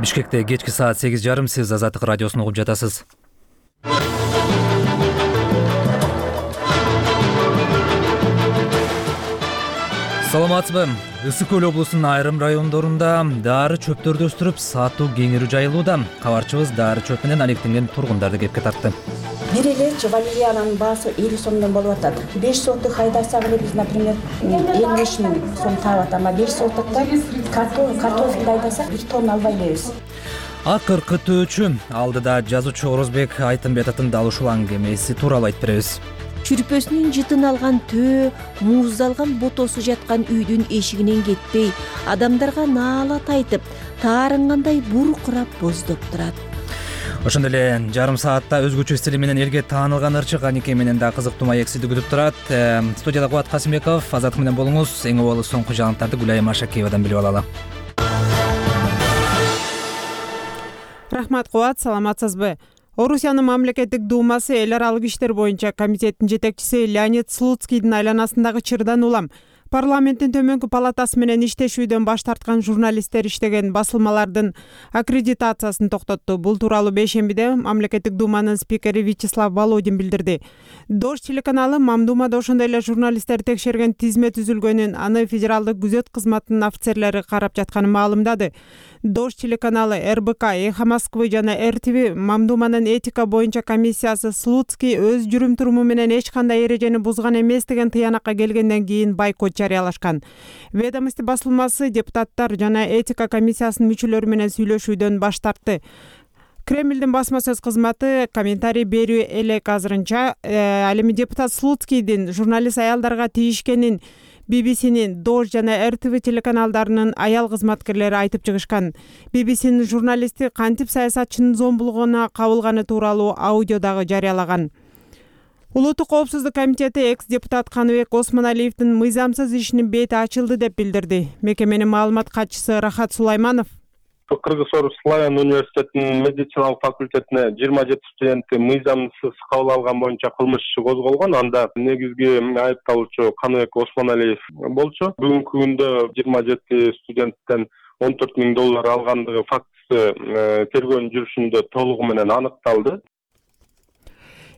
Бишкекте кечки саат сегиз жарым. Сиз Азаттык радиосун угуп жатасыз. Саламатсызбы? Ысык көл облусунун айрым райондорунда дары чөптөрдү өстүрүп сатуу кеңири жайылууда. Кабарчыбыз дары чөп менен алектенген тургундарды кепке тартты. Бир эле валериянын баасы элүү сомдон болуп атат. беш сотук хайдасак эле биз, например, элүү беш миң сом таап атат, ама беш сотукта картофелди айдасак бир тонна албай элебиз. Акыр кытөөчү алдыда жазуучу Орозбек Айтымбетовдун дал ушул аңгемеси тууралуу айтып беребиз. Чүрпөсүнүн жытын алган төө, мууздалган ботосу жаткан үйдүн эшигинен кетпей, адамдарга наалат айтып, таарынгандай буркурап боздоп турат. Ошондой эле жарым саатта өзгөчө стили менен элге таанылган ырчык Анике менен да кызыктуу маексиди күтүп турат. Студияда Кубат Касымбеков, Азаттык менен болуңуз. Эң убалы соңку жаңылыктарды Гүлайым Машакеевадан билип алалы. Рахмат Кубат, саламатсызбы? Орусиянын мамлекеттик думасы эл аралык иштер боюнча комитеттин жетекчиси Леонид Слуцкийдин айланасындагы чырдан улам парламенттин төмөнкү палатасы менен иштешүүдөн баш тарткан журналисттер иштеген басылмалардын аккредитациясын токтотту. Бул тууралуу бейшембиде мамлекеттик думанын спикери Вячеслав Володин билдирди. Дождь телеканалы Мамдумада ошондой эле журналисттер текшерген тизме түзүлгөнүн, аны федералдык күзөт кызматынын офицерлери карап жатканын маалымдады. Дождь телеканалы, эр бэ ка, Эхо Москвы жана эр тэ вэ Мамдуманын этика боюнча комиссиясы Слуцкий өз жүрүм-туруму менен эч кандай эрежени бузган эмес деген тыянакка келгенден кийин бойкот жарыялашкан. Ведомости басылмасы депутаттар жана этика комиссиясынын мүчөлөрү менен сүйлөшүүдөн баш тартты. Кремлдин басма сөз кызматы комментарий берүү элек азырынча. Ал эми депутат Слуцкийдин журналист аялдарга тийишкенин би би синин, Дождь жана эр тэ вэ телеканалдарынын аял кызматкерлери айтып чыгышкан. би би синин журналисти кантип саясатчынын зомбулугуна кабылганы тууралуу аудио дагы жарыялаган. Улуттук коопсуздук комитети экс-депутат Каныбек Осмоналиевдин мыйзамсыз ишинин бети ачылды деп билдирди. Мекеменин маалымат катчысы Рахат Сулайманов Кыргыз-Орус Славян университетинин медициналык факультетине жыйырма жети студенти мыйзамсыз кабыл алган боюнча кылмыш иши козголгон. Анда негизги айыпталуучу Каныбек Осмоналиев болчу. Бүгүнкү күндө жыйырма жети студенттен он төрт миң доллар алгандыгы фактысы тергөөнүн жүрүшүндө толугу менен аныкталды.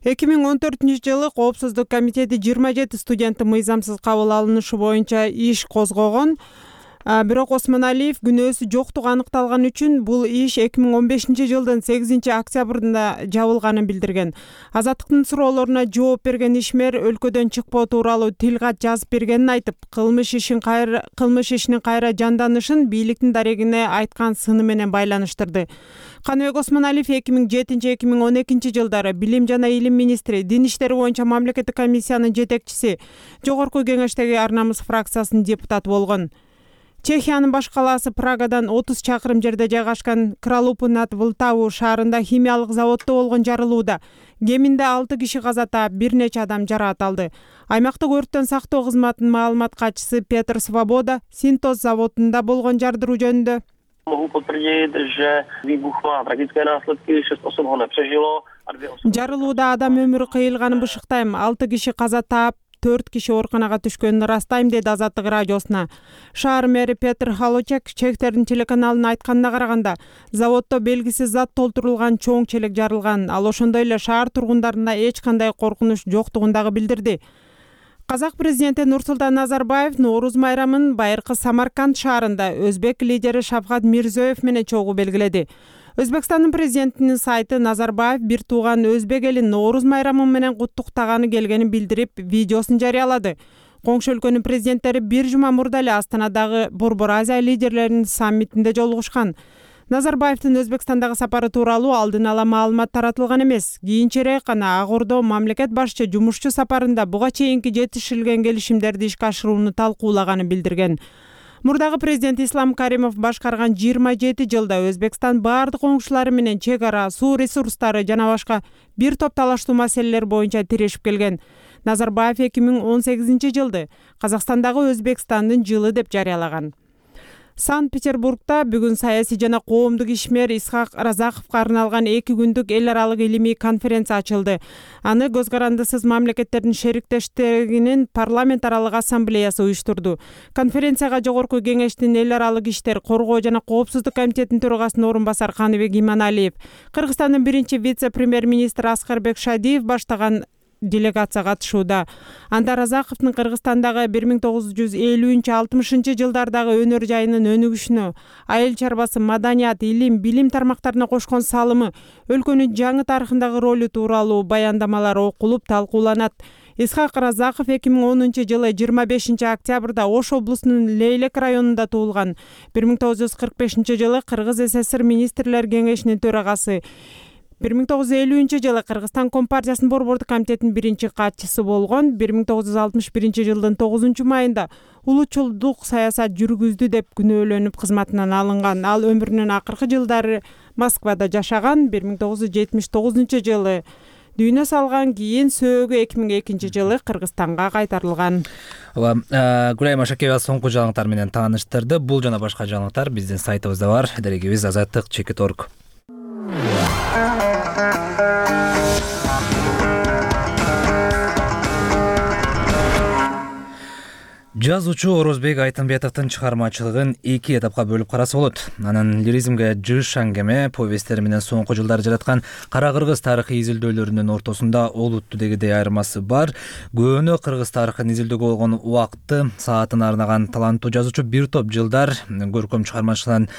эки миң он төртүнчү жылы коопсуздук комитети жыйырма жети студенттин мыйзамсыз кабыл алынышы боюнча иш козгогон. Бирок Осмоналиев күнөөсү жоктугу аныкталган үчүн бул иш эки миң он бешинчи жылдын сегизинчи октябрында жабылганын билдирген. Азаттыктын суроолоруна жооп берген ишмер өлкөдөн чыкпоо тууралуу тил кат жазып бергенин айтып, кылмыш ишин кайра кылмыш ишинин кайра жанданышын бийликтин дарегине айткан сыны менен байланыштырды. Каныбек Осмоналиев эки миң жетинчи эки миң он экинчи жылдары билим жана илим министри, дин иштери боюнча мамлекеттик комиссиянын жетекчиси, жогорку кеңештеги Ар намыс фракциясынын депутаты болгон. Чехиянын баш калаасы Прагадан отуз чакырым жерде жайгашкан Кралупы над Вылтаву шаарында химиялык заводдо болгон жарылууда кеминде алты киши каза таап, бир нече адам жараат алды. Аймактык өрттөн сактоо кызматынын маалымат катчысы Петр Свобода Синтоз заводунда болгон жардыруу жөнүндө жарылууда адам өмүрү кыйылганын бышыктайм. алты киши каза таап, төрт киши ооруканага түшкөнүн ырастайм, деди Азаттык радиосуна. Шаар мэри Петр Халочек Чехтердин телеканалына айтканына караганда, заводдо белгисиз зат толтурулган чоң челек жарылган. Ал ошондой эле шаар тургундарына эч кандай коркунуч жоктугун дагы билдирди. Казак президенти Нурсултан Назарбаев Нооруз майрамын байыркы Самарканд шаарында өзбек лидери Шавкат Мирзиёев менен чогуу белгиледи. Өзбекстандын президентинин сайты Назарбаев бир тууган өзбек элин Нооруз майрамы менен куттуктаганы келгенин билдирип, видеосун жарыялады. Коңшу өлкөнүн президенттери бир жума мурда эле Астанадагы Борбор Азия лидерлеринин саммитинде жолугушкан. Назарбаевдин Өзбекстандагы сапары тууралуу алдын ала маалымат таратылган эмес. Кийинчерээк гана Ак Ордо мамлекет башчы жумушчу сапарында буга чейинки жетишилген келишимдерди ишке ашырууну талкуулаганын билдирген. Мурдагы президент Ислам Каримов башкарган жыйырма жети жылда Өзбекстан баардык коңшулары менен чек ара, суу ресурстары жана башка бир топ талаштуу маселелер боюнча тирешип келген. Назарбаев эки миң он сегизинчи жылды Казакстандагы Өзбекстандын жылы деп жарыялаган. Санкт-Петербургда бүгүн саясий жана коомдук ишмер Исхак Разаковго арналган эки күндүк эл аралык илимий конференция ачылды. Аны Көз карандысыз мамлекеттердин шериктештигинин парламент аралык ассамблеясы уюштурду. Конференцияга Жогорку Кеңештин эл аралык иштер, коргоо жана коопсуздук комитетинин төрагасынын орун басары Каныбек Иманалиев, Кыргызстандын биринчи вице-премьер-министри Аскарбек Шадиев баштаган делегация катышууда. Анда Разаковдун Кыргызстандагы бир миң тогуз жүз элүүнчү алтымышынчы жылдардагы өнөр жайынын өнүгүшүнө, айыл чарбасы, маданият, илим, билим тармактарына кошкон салымы, өлкөнүн жаңы тарыхындагы ролу тууралуу баяндамалар окулуп, талкууланат. Исхак Разаков эки миң онунчу жылы жыйырма бешинчи октябрда Ош облусунун Лейлек районунда туулган. бир миң тогуз жүз кырк бешинчи жылы Кыргыз ССР министрлер кеңешинин төрагасы. бир миң тогуз жүз элүүнчү жылы Кыргызстан Компартиясынын борбордук комитетинин биринчи катчысы болгон. бир миң тогуз жүз алтымыш биринчи жылдын тогузунчу майында улутчулдук саясат жүргүздү деп күнөөлөнүп кызматынан алынган. Ал өмүрүнүн акыркы жылдары Москвада жашаган. бир миң тогуз жүз жетимиш тогузунчу жылы дүйнө салган, кийин сөөгү эки миң экинчи жылы Кыргызстанга кайтарылган. Гүлайым Машакеева соңку жаңылыктар менен тааныштырды. Бул жана башка жаңылыктар биздин сайтыбызда бар. Дарегибиз азаттык чекит точка орг. Жазуучу Орозбек Айтымбетовдун чыгармачылыгын эки этапка бөлүп караса болот. Анын лиризмге жыш аңгеме, повесттери менен соңку жылдары жараткан Кара Кыргыз тарыхый изилдөөлөрүнүн ортосунда олутту дегидей айырмасы бар. Көөнө кыргыз тарыхын изилдөөгө болгон убакытты, саатын арнаган таланттуу жазуучу бир топ жылдар көркөм чыгармачылыгын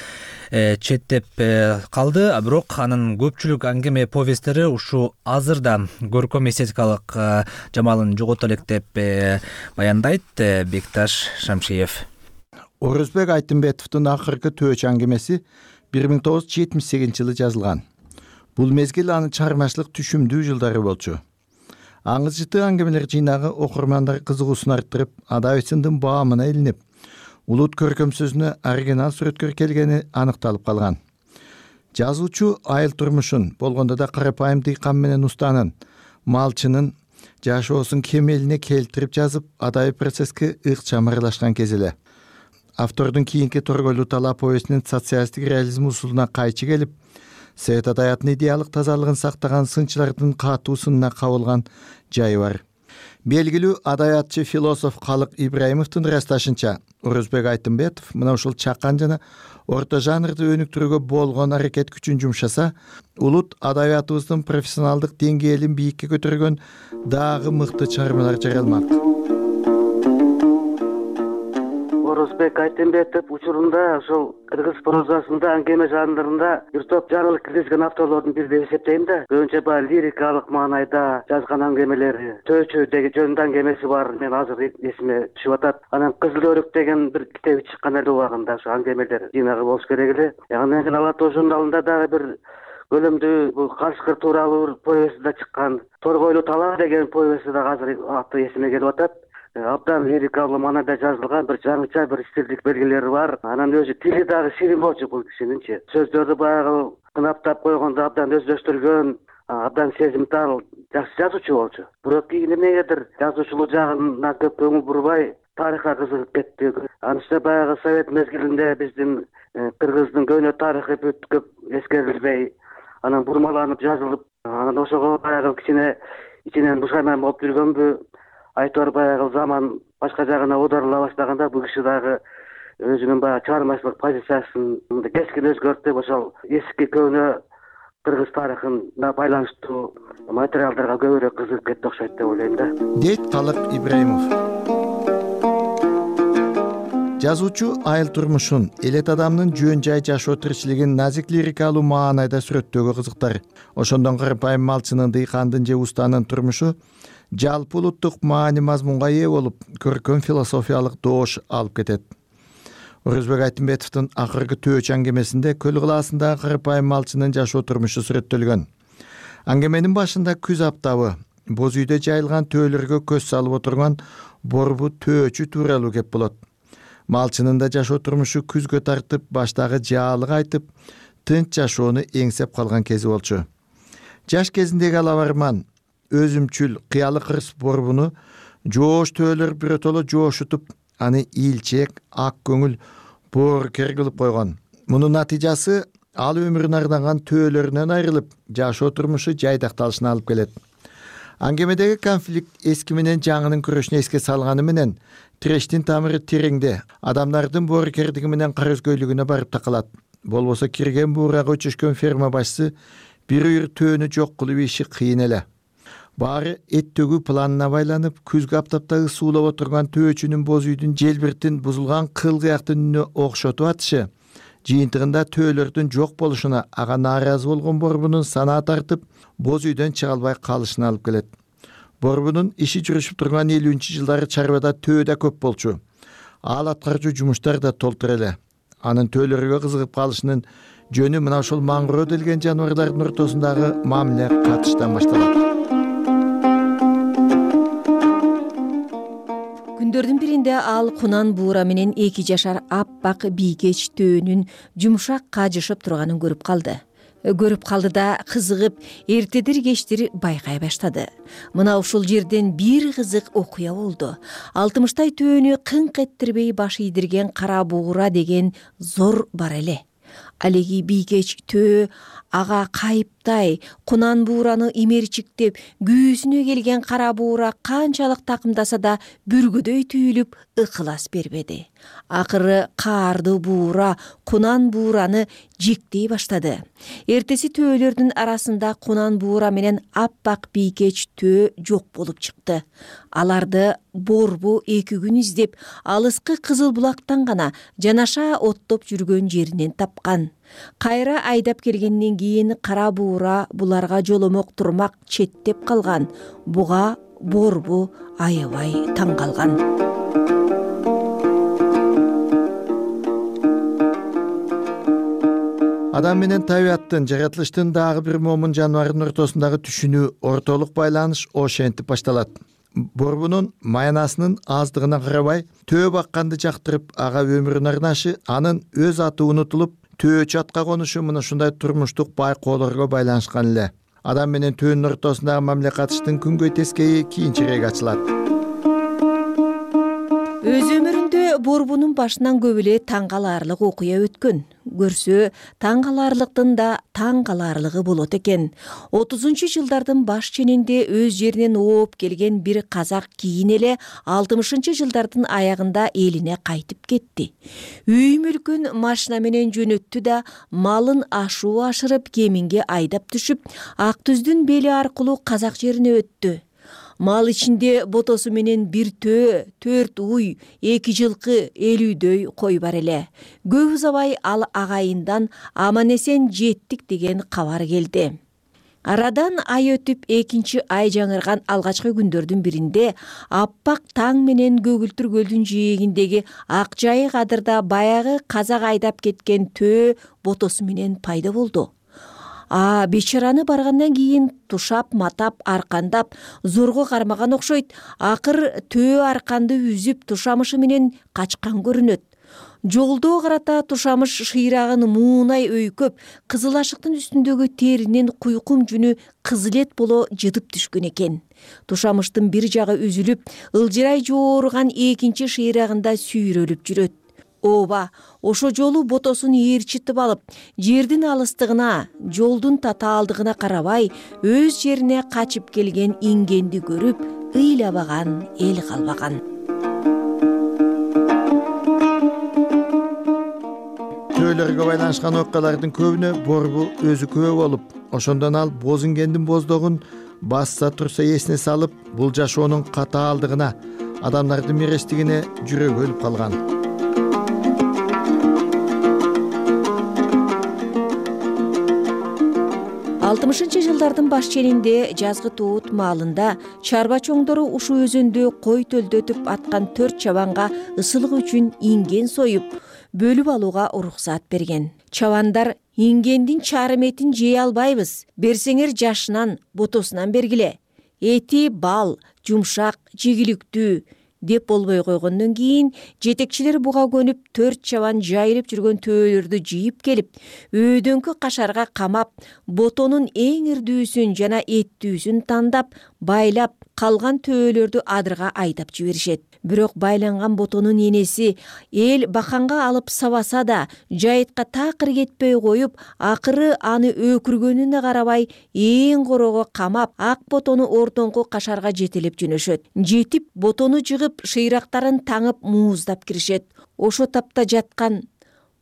четтеп калды, а бирок анын көпчүлүк аңгеме, повесттери ушу азырда көркөм эстетикалык жамалын жогото элек деп баяндайт Бекташ Шамшиев. Орозбек Айтымбетовдун акыркы төөч аңгемеси бир миң тогуз жүз жетимиш сегизинчи жылы жазылган. Бул мезгил анын чыгармачылык түшүмдүү жылдары болчу. Аңыз жыты аңгемелер жыйнагы окурмандар кызыгуусун арттырып, адабиятчылыктын баамына илинип, улут көркөм сөзүнө оригинал сүрөткөр келгени аныкталып калган. Жазуучу айыл турмушун, болгондо да карапайым дыйкан менен устанын, малчынын жашоосун кемелине келтирип жазып, адабий процесске ыкчам аралашкан кез эле. Автордун кийинки торгойлуу талап повестинин социалисттик реализм усулуна кайчы келип, совет адабиятынын идеалдык тазалыгын сактаган сынчылардын катуу сынына кабылган жайы бар. Белгилүү адабиятчы философ Калык Ибраимовдун ырасташынча, Орозбек Айтымбетов мына ушул чакан жана орто жанрды өнүктүрүүгө болгон аракет күчүн жумшаса, улут адабиятыбыздын профессионалдык деңгээлин бийикке көтөргөн дагы мыкты чыгармалар жаралмак. Орозбек Айтымбетов учурунда ошол кыргыз прозасында, аңгеме жанрында бир топ жаңылык киргизген авторлордун бири деп эсептейм да. Көбүнчө баягы лирикалык маанайда жазган аңгемелери, Төөчө деген жөнүндө аңгемеси бар, мен азыр эсиме түшүп атат. Анан Кызыл өрүк деген бир китеби чыккан эле убагында, ошо аңгемелер жыйнагы болуш керек эле. Андан кийин Ала тоо журналында дагы бир көлөмдүү бул Кашкыр тууралуу повести да чыккан. Торгойлуу талаа деген повести да азыр аты эсиме келип атат. Абдан лирикалуу маанайда жазылган, бир жаңыча бир стилдик белгилери бар. Анан өзү тили дагы ширин болчу бул кишининчи. Сөздөрдү баягы кынаптап койгондо абдан өздөштүргөн, абдан сезимтал, жакшы жазуучу болчу. Бирок кийин эмнегедир жазуучулук жагына көп көңүл бурбай, тарыхка кызыгып кетти. Анысы баягы совет мезгилинде биздин кыргыздын көөнө тарыхы бүт көп эскерилбей, анан бурмаланып жазылып, анан ошого баягы кичине ичинен бушайман болуп жүргөнбү, айтор баягы заман башка жагына оодарыла баштаганда бул киши дагы өзүнүн баягы чыгармачылык позициясын кескин өзгөртүп, ошол эски көөнө кыргыз тарыхына байланыштуу материалдарга көбүрөөк кызыгып кетти окшойт деп ойлойм да, дейт Талык Ибраимов. Жазуучу айыл турмушун, элет адамдын жөн жай жашоо тиричилигин назик лирикалуу маанайда сүрөттөөгө кызыктар. Ошондон карапайым малчынын, дыйкандын же устанын турмушу жалпы улуттук маани мазмунга ээ болуп, көркөм философиялык доош алып кетет. Орозбек Айтымбетовдун акыркы төөч аңгемесинде көл кылаасындагы карапайым малчынын жашоо турмушу сүрөттөлгөн. Аңгеменин башында күз аптабы, боз үйдө жайылган төөлөргө көз салып отурган борбу төөчү тууралуу кеп болот. Малчынын да жашоо турмушу күзгө тартып, баштагы жаалык айтып, тынч жашоону эңсеп калган кези болчу. Жаш кезиндеги алабарман, өзүмчүл, кыялы кырс борбуну жоош төөлөр биротоло жоошутуп, аны ийилчээк, ак көңүл, боорукер кылып койгон. Мунун натыйжасы ал өмүрүн ардаган төөлөрүнөн айрылып, жашоо турмушу жайдакталышына алып келет. Аңгемедеги конфликт эски менен жаңынын күрөшүнө эске салганы менен тирештин тамыры тереңде, адамдардын боорукердиги менен кара өзгөйлүгүнө барып такалат. Болбосо кирген буурага өчүшкөн ферма башчысы бир үйүр төөнү жок кылып иши кыйын эле. Баары эт төгүү планына байланып, күзгү аптаптагы суулап отурган төөчүнүн боз үйдүн желбиртин бузулган кыл кыяктын үнүнө окшотуп атышы, жыйынтыгында төөлөрдүн жок болушуна ага нааразы болгон борбунун санаа тартып, боз үйдөн чыга албай калышына алып келет. Борбунун иши жүрүшүп турган элүүнчү жылдары чарбада төө да көп болчу. Ал аткарчу жумуштар да толтур эле. Анын төөлөргө кызыгып калышынын жөнү мына ушул маңгыроо делген жаныбарлардын ортосундагы мамиле катыштан башталат. Күндөрдүн биринде ал кунан буура менен эки жашар аппак бийкеч төөнүн жумшак кажышып турганын көрүп калды. Көрүп калды да кызыгып, эртедир кечтир байкай баштады. Мына ушул жерден бир кызык окуя болду. алтымыштай төөнү кыңк эттирбей баш ийдирген кара буура деген зор бар эле. Алеги бийкеч төө ага кайыптай, кунан буураны имерчиктеп, күүсүнө келген кара буура канчалык такымдаса да бүргөдөй түйүлүп ыкылас бербеди. Акыры каарды буура кунан буураны жектей баштады. Эртеси төөлөрдүн арасында кунан буура менен аппак бийкеч төө жок болуп чыкты. Аларды борбу эки күн издеп, алыскы Кызыл булактан гана жанаша оттоп жүргөн жеринен тапкан. Кайра айдап келгенден кийин кара буура буларга жоломок турмак четтеп калган. Буга борбу аябай таң калган. Адам менен табияттын, жаратылыштын дагы бир момун жаныбардын ортосундагы түшүнүү, ортолук байланыш ошентип башталат. Борбунун маянасынын аздыгына карабай, төө бакканды жактырып, ага өмүрүн арнашы, анын өз аты унутулуп, төөчү атка конушу мына ушундай турмуштук байкоолорго байланышкан эле. Адам менен төөнүн ортосундагы мамиле катыштын күнгөй тескейи кийинчерээк ачылат. Өз өмүрүндө борбунун башынан көп эле таң калаарлык окуя өткөн. Көрсө, таң калаарлыктын да таң калаарлыгы болот экен. отузунчу жылдардын баш ченинде өз жеринен ооп келген бир казак кийин эле алтымышынчы жылдардын аягында элине кайтып кетти. Үй мүлкүн машина менен жөнөттү да малын ашуу ашырып кеминге айдап түшүп, Ак Түздүн бели аркылуу казак жерине өттү. Мал ичинде ботосу менен бир төө, төрт уй, эки жылкы, элүүдөй кой бар эле. Көп узабай ал агайындан аман эсен жеттик деген кабар келди. Арадан ай өтүп экинчи ай жаңырган алгачкы күндөрдүн биринде аппак таң менен көгүлтүр көлдүн жээгиндеги ак жайык адырда баягы казак айдап кеткен төө ботосу менен пайда болду. А бечараны баргандан кийин тушап, матап, аркандап, зорго кармаган окшойт. Акыр төө арканды үзүп тушамышы менен качкан көрүнөт. Жолдо карата тушамыш шыйрагын муунай өйкөп, кызыл ашыктын үстүндөгү теринин куйкум жүнү кызылет боло жыдып түшкөн экен. Тушамыштын бир жагы үзүлүп, ылжырай жооруган экинчи шыйрагында сүйрөлүп жүрөт. Ооба, ошо жолу ботосун ээрчитип алып, жердин алыстыгына, жолдун татаалдыгына карабай, өз жерине качып келген ингенди көрүп, ыйлабаган эл калбаган. төөлөргө байланышкан окуялардын көбүнө Борбу өзү күбө болуп, ошондон ал Бозингендин боздогун басса турса эсине салып, бул жашоонун катаалдыгына, адамдардын мирештигине жүрөгү өлүп калган. алтымышынчы жылдардын баш ченинде жазгы туут маалында чарба чоңдору ушул өзөндө кой төлдөтүп аткан төрт чабанга ысылык үчүн инген союп, бөлүп алууга уруксаат берген. Чабандар ингендин чарым этин жей албайбыз, берсеңер жашынан, ботосунан бергиле. Эти бал, жумшак, жегиликтүү деп болбой койгондон кийин жетекчилер буга көнүп төрт чабан жайылып жүргөн төөлөрдү жыйып келип, өөдөнкү кашарга камап, ботонун эң ирдүүсүн жана эттүүсүн тандап, байлап, калган төөлөрдү адырга айдап жиберишет. Бирок байланган ботонун энеси эл баканга алып сабаса да, жайытка такыр кетпей коюп, акыры аны өкүргөнүнө карабай, эң корого камап, ак ботону ортоңку кашарга жетелеп жөнөшөт. Жетип, ботону жыгып, шыйрактарын таңып мууздап киришет. Ошо тапта жаткан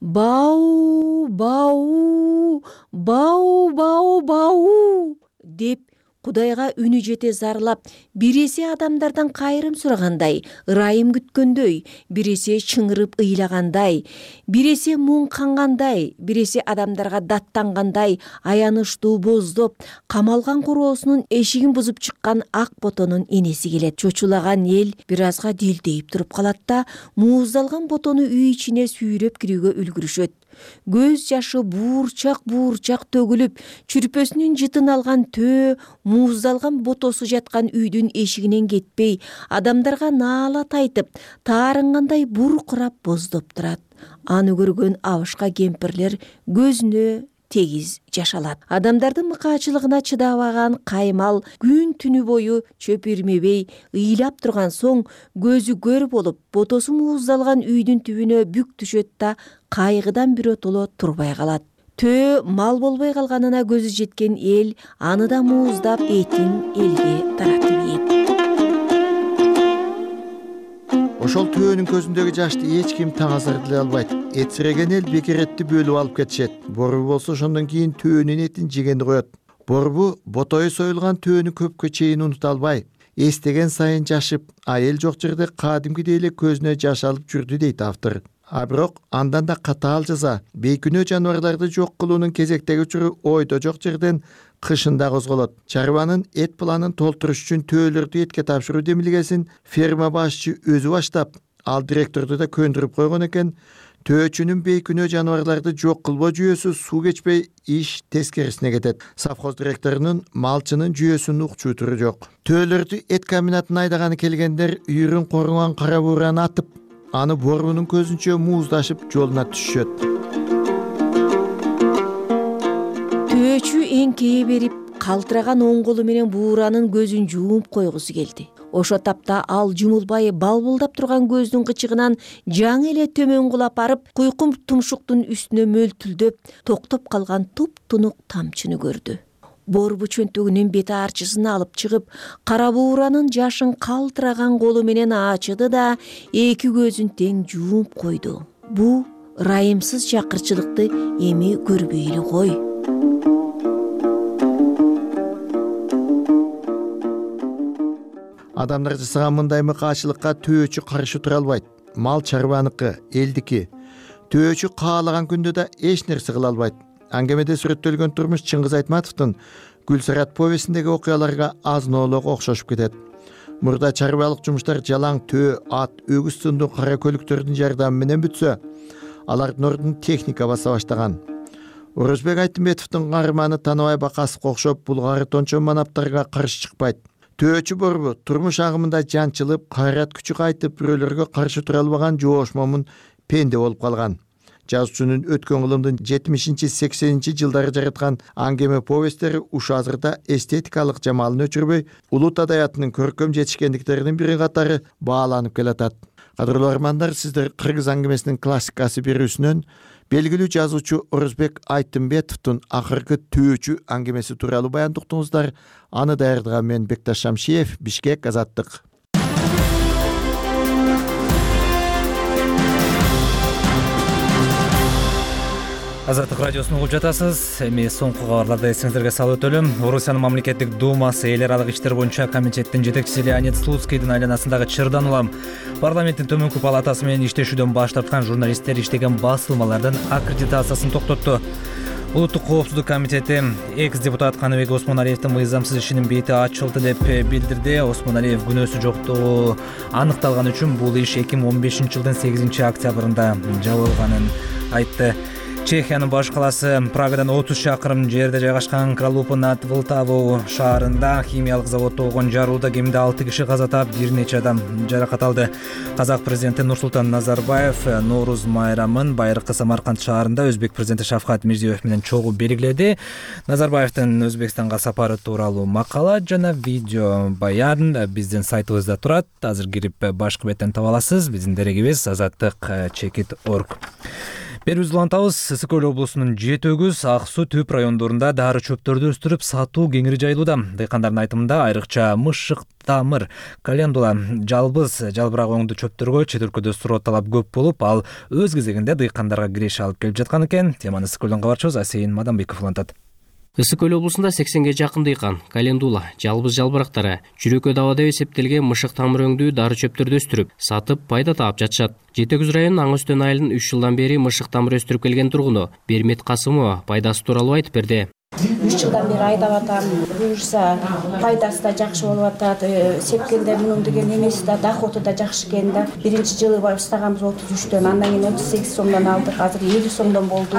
бау, бау, бау, бау, бау деп Кудайга үнү жете зарлап, биреси адамдардан кайрым сурагандай, ырайым күткөндөй, биреси чыңырып ыйлагандай, биреси муң кангандай, биреси адамдарга даттангандай, аянычтуу боздоп, камалган короосунун эшигин бузуп чыккан ак ботонун энеси келет. Чочулаган эл бир азга дилдейип туруп калат да, мууздалган ботону үй ичине сүйрөп кирүүгө үлгүрүшөт. Көз жашы буурчак-буурчак төгүлүп, чүрпөсүнүн жытын алган төө, мууздалган ботосу жаткан үйдүн эшигинен кетпей, адамдарга наалат айтып, таарынгандай буркурап боздоп турат. Аны көргөн абышка кемпирлер көзүнө тегиз жаш алат. Адамдардын мыкаачылыгына чыдабаган Каймал күн түнү бою чөп ирмебей ыйлап турган соң, көзү көр болуп, ботосу мууздалган үйдүн түбүнө бүк түшөт да, кайгыдан биротоло турбай калат. Төө мал болбой калганына көзү жеткен эл аны да мууздап, этин элге таратып ийет. Ошол төөнүн көзүндөгү жашты эч ким таң азырдылай албайт. Этсиреген эл бекеретти бөлүп алып кетишет. Борбу болсо ошондон кийин төөнүн этин жегенди коет. Борбу ботою союлган төөнү көпкө чейин унута албай, эстеген сайын жашып, а эл жок жерде кадимкидей эле көзүнө жаш алып жүрдү дейт автор. А бирок андан да катаал жаза, бейкүнөө жаныбарларды жок кылуунун кезектеги учуру ойдо жок жерден кышында козголот. Чарбанын эт планын толтуруш үчүн төөлөрдү этке тапшыруу демилгесин ферма башчы өзү баштап, ал директорду да көндүрүп койгон экен. Төөчүнүн бейкүнөө жаныбарларды жок кылбоо жүйөсү суу кечпей иш тескерисине кетет. Совхоз директорунун малчынын жүйөсүн укчуу туру жок. Төөлөрдү эт комбинатына айдаганы келгендер үйрүн коруган кара буураны атып, аны Борбунун көзүнчө мууздашып жолуна түшүшөт. Төөчү эңкейе берип, калтыраган оң колу менен бууранын көзүн жууп койгусу келди. Ошо тапта ал жумулбай балбылдап турган көздүн кычыгынан жаңы эле төмөн кулап барып, куйкум тумшуктун үстүнө мөлтүлдөп, токтоп калган туп-тунук тамчыны көрдү. Борбу чөнтөгүнүн бет арчысын алып чыгып, кара бууранын жашын калтыраган колу менен ачыды да, эки көзүн тең жууп койду. Бу ырайымсыз жакырчылыкты эми көрбөйлү кой. Адамдар жасаган мындай мыкаачылыкка төөчү каршы тура албайт. Мал чарбаныкы, элдики. Төөчү каалаган күндө да эч нерсе кыла албайт. Аңгемеде сүрөттөлгөн турмуш Чыңгыз Айтматовдун Гүлсарат повестиндеги окуяларга азын-оолок окшошуп кетет. Мурда чарбалык жумуштар жалаң төө, ат, өгүз сындуу кара көлүктөрдүн жардамы менен бүтсө, алардын ордун техника баса баштаган. Орозбек Айтымбетовдун каарманы Таныбай Бакасовго окшоп булгары тончо манаптарга каршы чыкпайт. Төөчү Борбу турмуш агымында жанчылып, кайрат күчү кайтып, бирөөлөргө каршы тура албаган жоош момун пенде болуп калган. Жазуучунун өткөн кылымдын жетимишинчи сексенинчи жылдары жараткан аңгеме повесттери ушу азырда эстетикалык жамалын өчүрбөй, улут адаятынын көркөм жетишкендиктеринин бири катары бааланып келатат. Кадырлуу армандар, сиздер кыргыз аңгемесинин классикасы берүүсүнөн белгилүү жазуучу Орозбек Айтымбетовдун акыркы Төөчү аңгемеси тууралуу баян уктуңуздар. Аны даярдаган мен Бекташ Шамшиев, Бишкек, Азаттык. Азаттык радиосун угуп жатасыз. Эми соңку кабарларды эсиңиздерге салып өтөлү. Орусиянын мамлекеттик думасы эл аралык иштер боюнча комитеттин жетекчиси Леонид Слуцкийдин айланасындагы Чырдан улам парламенттин төмөнкү палатасы менен иштешүүдөн баш тарткан журналисттер иштеген басылмалардын аккредитациясын токтотту. Улуттук коопсуздук комитети экс-депутат Каныбек Осмоналиевдин мыйзамсыз ишинин бети ачылды деп билдирди. Осмоналиев күнөөсү жоктугу аныкталган үчүн бул иш эки миң он бешинчи жылдын сегизинчи октябрында жабылганын айтты. Чехиянын баш каласы Прагадан отуз чакырым жерде жайгашкан Кралупы над Вылтаву шаарында химиялык заводдо болгон жарууда кеминде алты киши каза таап, бир нече адам жаракат алды. Казак президенти Нурсултан Назарбаев Норуз майрамын байыркы Самарканд шаарында өзбек президенти Шавкат Мирзиёев менен чогуу белгиледи. Назарбаевдин Өзбекстанга сапары тууралуу макала жана видео баян биздин сайтыбызда турат. Азыр кирип башкы беттен таба аласыз. Биздин дерегибиз азаттык чекит точка орг. Берүүбүздү улантабыз. Ысык Көл облусунун жети өгүз, Ак Суу, Түп райондорунда дары чөптөрдү өстүрүп сатуу кеңири жайылууда. Дыйкандардын айтымында айрыкча мышык тамыр, календула, жалбыз, жалбырак оңду чөптөргө чет өлкөдө суроо талап көп болуп, ал өз кезегинде дыйкандарга киреше алып келип жаткан экен. Теманы Ысык Көлдөн кабарчыбыз Асейин Мадамбеков улантат. Ысык Көл облусунда сексенге жакын дыйкан календула, жалбыз жалбырактары, жүрөккө дава деп эсептелген мышык тамыр өңдүү дары чөптөрдү өстүрүп, сатып пайда таап жатышат. жети өгүз районунун Аң Өстөн айылынын үч жылдан бери мышык тамыр өстүрүп келген тургуну Бермет Касымова пайдасы тууралуу айтып берди. үч жылдан бери айдап атам. Буюрса пайдасы да жакшы болуп атат. Сепкенде мунун деген эмеси да, доходу да жакшы экен да. Биринчи жылы баштаганбыз отуз үчтөн, андан кийин отуз сегиз сомдон алдык, азыр элүү сомдон болду.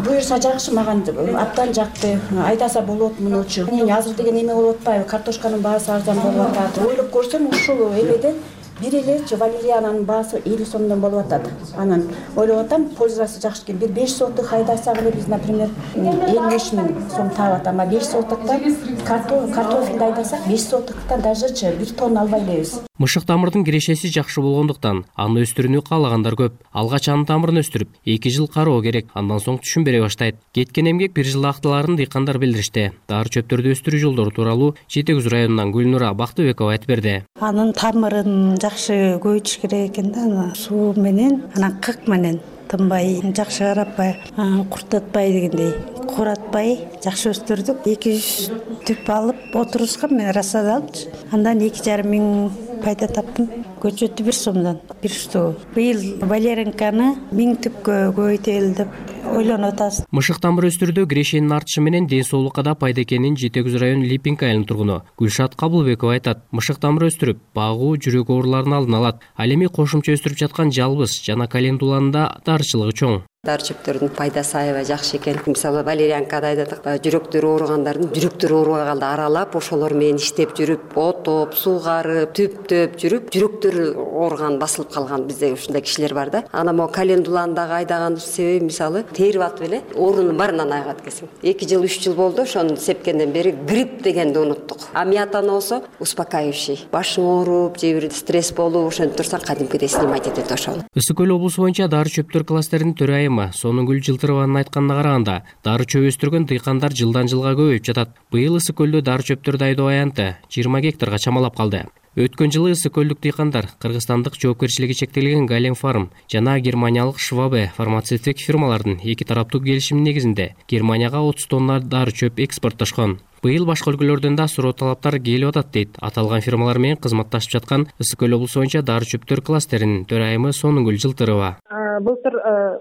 Буюрса жакшы, мага абдан жакты. Айдаса болот мунучу. Азыр деген эме болуп атпайбы? Картошканын баасы арзан болуп атат. Ойлоп көрсөм ушул эмеден бир эле валериянанын баасы элүү сомдон болуп атат. Анан ойлоп атам, пользасы жакшы экен. Бир беш сотук хайдасак эле биз, например, элүү беш миң сом таап атам. А беш сотуктан картофелди айдасак, беш сотуктан дажечи бир тонна албай элебиз. Мышык тамырдын кирешеси жакшы болгондуктан аны өстүрүүнү каалагандар көп. Алгач анын тамырын өстүрүп, эки жыл кароо керек, андан соң түшүм бере баштайт. Кеткен эмгек бир жыл актыларын дыйкандар билдиришти. Дары чөптөрдү өстүрүү жолдору тууралуу жети өгүз районунан Гүлнура Бактыбекова айтып берди. Анын тамырын жакшы көбөйтүш керек экен да, суу менен, анан кык менен тынбай, жакшы карапай, куртатпай дегендей, куратпай жакшы өстүрдүк. эки жүз түп алып отурускан, мен рассад алып, андан эки жарым миң пайда таптым. Көчөтү бир сомдон, бир штук. Быйыл валеринканы миң түпкө көбөйтөлү деп ойлонуп атабыз. Мышык тамыр өстүрүүдө кирешенин артышы менен ден соолукка да пайда экенин жети өгүз району Липинка айылынын тургуну Гүлшат Кабылбекова айтат. Мышык тамыр өстүрүп, багуу жүрөк ооруларын алдын алат. Ал эми кошумча өстүрүп жаткан жалбыз жана календуланын да дарычылыгы чоң. Дары чөптөрдүн пайдасы аябай жакшы экен. Мисалы валерьянкада айдадык, жүрөктөрү ооругандардын жүрөктөрү оорубай калды, аралап ошолор менен иштеп жүрүп, отоп, суугарып, түптөп жүрүп, жүрөктөрү ооруган, басылып калган бизде ушундай кишилер бар да. Анан могу календуланы дагы айдаганыбыз себеби, мисалы, терип атып эле оорунун баарынан айыгат экенсиң. эки жыл, үч жыл болду, ошону сепкенден бери грипп дегенди унуттук. А миятаны болсо успокаивающий. Башың ооруп, же бир стресс болуп, ошентип турсаң кадимкидей снимать этет ошону. Ысык Көл облусу боюнча дары чөптөр кластеринин төрайымы Сонугүл Жылтырованын айтканына караганда, дары чөп өстүргөн дыйкандар жылдан жылга көбөйүп жатат. Быйыл Ысык Көлдө дары чөптөрдү айдоо аянты жыйырма гектарга чамалап калды. Өткөн жылы Ысык Көлдүк дыйкандар кыргызстандык жоопкерчилиги чектелген Галем Фарм жана германиялык Швабе фармацевтик фирмалардын эки тараптуу келишими негизинде Германияга отуз тонна дары чөп экспорттошкон. Быйыл башка өлкөлөрдөн да суроо талаптар келип атат дейт аталган фирмалар менен кызматташып жаткан Ысык Көл облусу боюнча дары чөптөр кластеринин төрайымы Сонугүл Жылтырова. Былтыр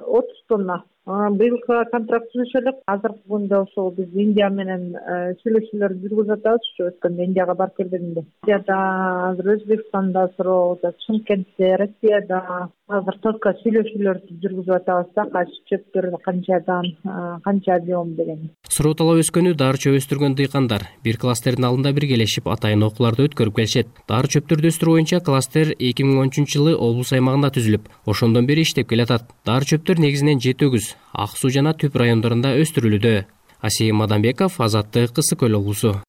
отуз тонна. Быйылкы контракт түзүшөлүк. Азыркы күндө ошол биз Индия менен сүйлөшүүлөр жүргүзүп атабыз. Ушу өткөндө Индияга барып келгенде. Индияда, азыр Өзбекстанда суроо, Чымкентте, Россияда азыр только сүйлөшүүлөрдү жүргүзүп атабыз да, кайсы чөптөр канчадан, канча объем деген. Суроо талап өскөнү дары чөп өстүргөн дыйкандар бир кластердин алдында биргелешип атайын окууларды өткөрүп келишет. Дары чөптөрдү өстүрүү боюнча кластер эки миң он үчүнчү жылы облус аймагында түзүлүп, ошондон бери иштеп келатат. Дары чөптөр негизинен жети өгүз, Ак Суу жана Түп райондорунда өстүрүлүүдө. Асейин Мадамбеков, Азаттык, Ысык Көл облусу.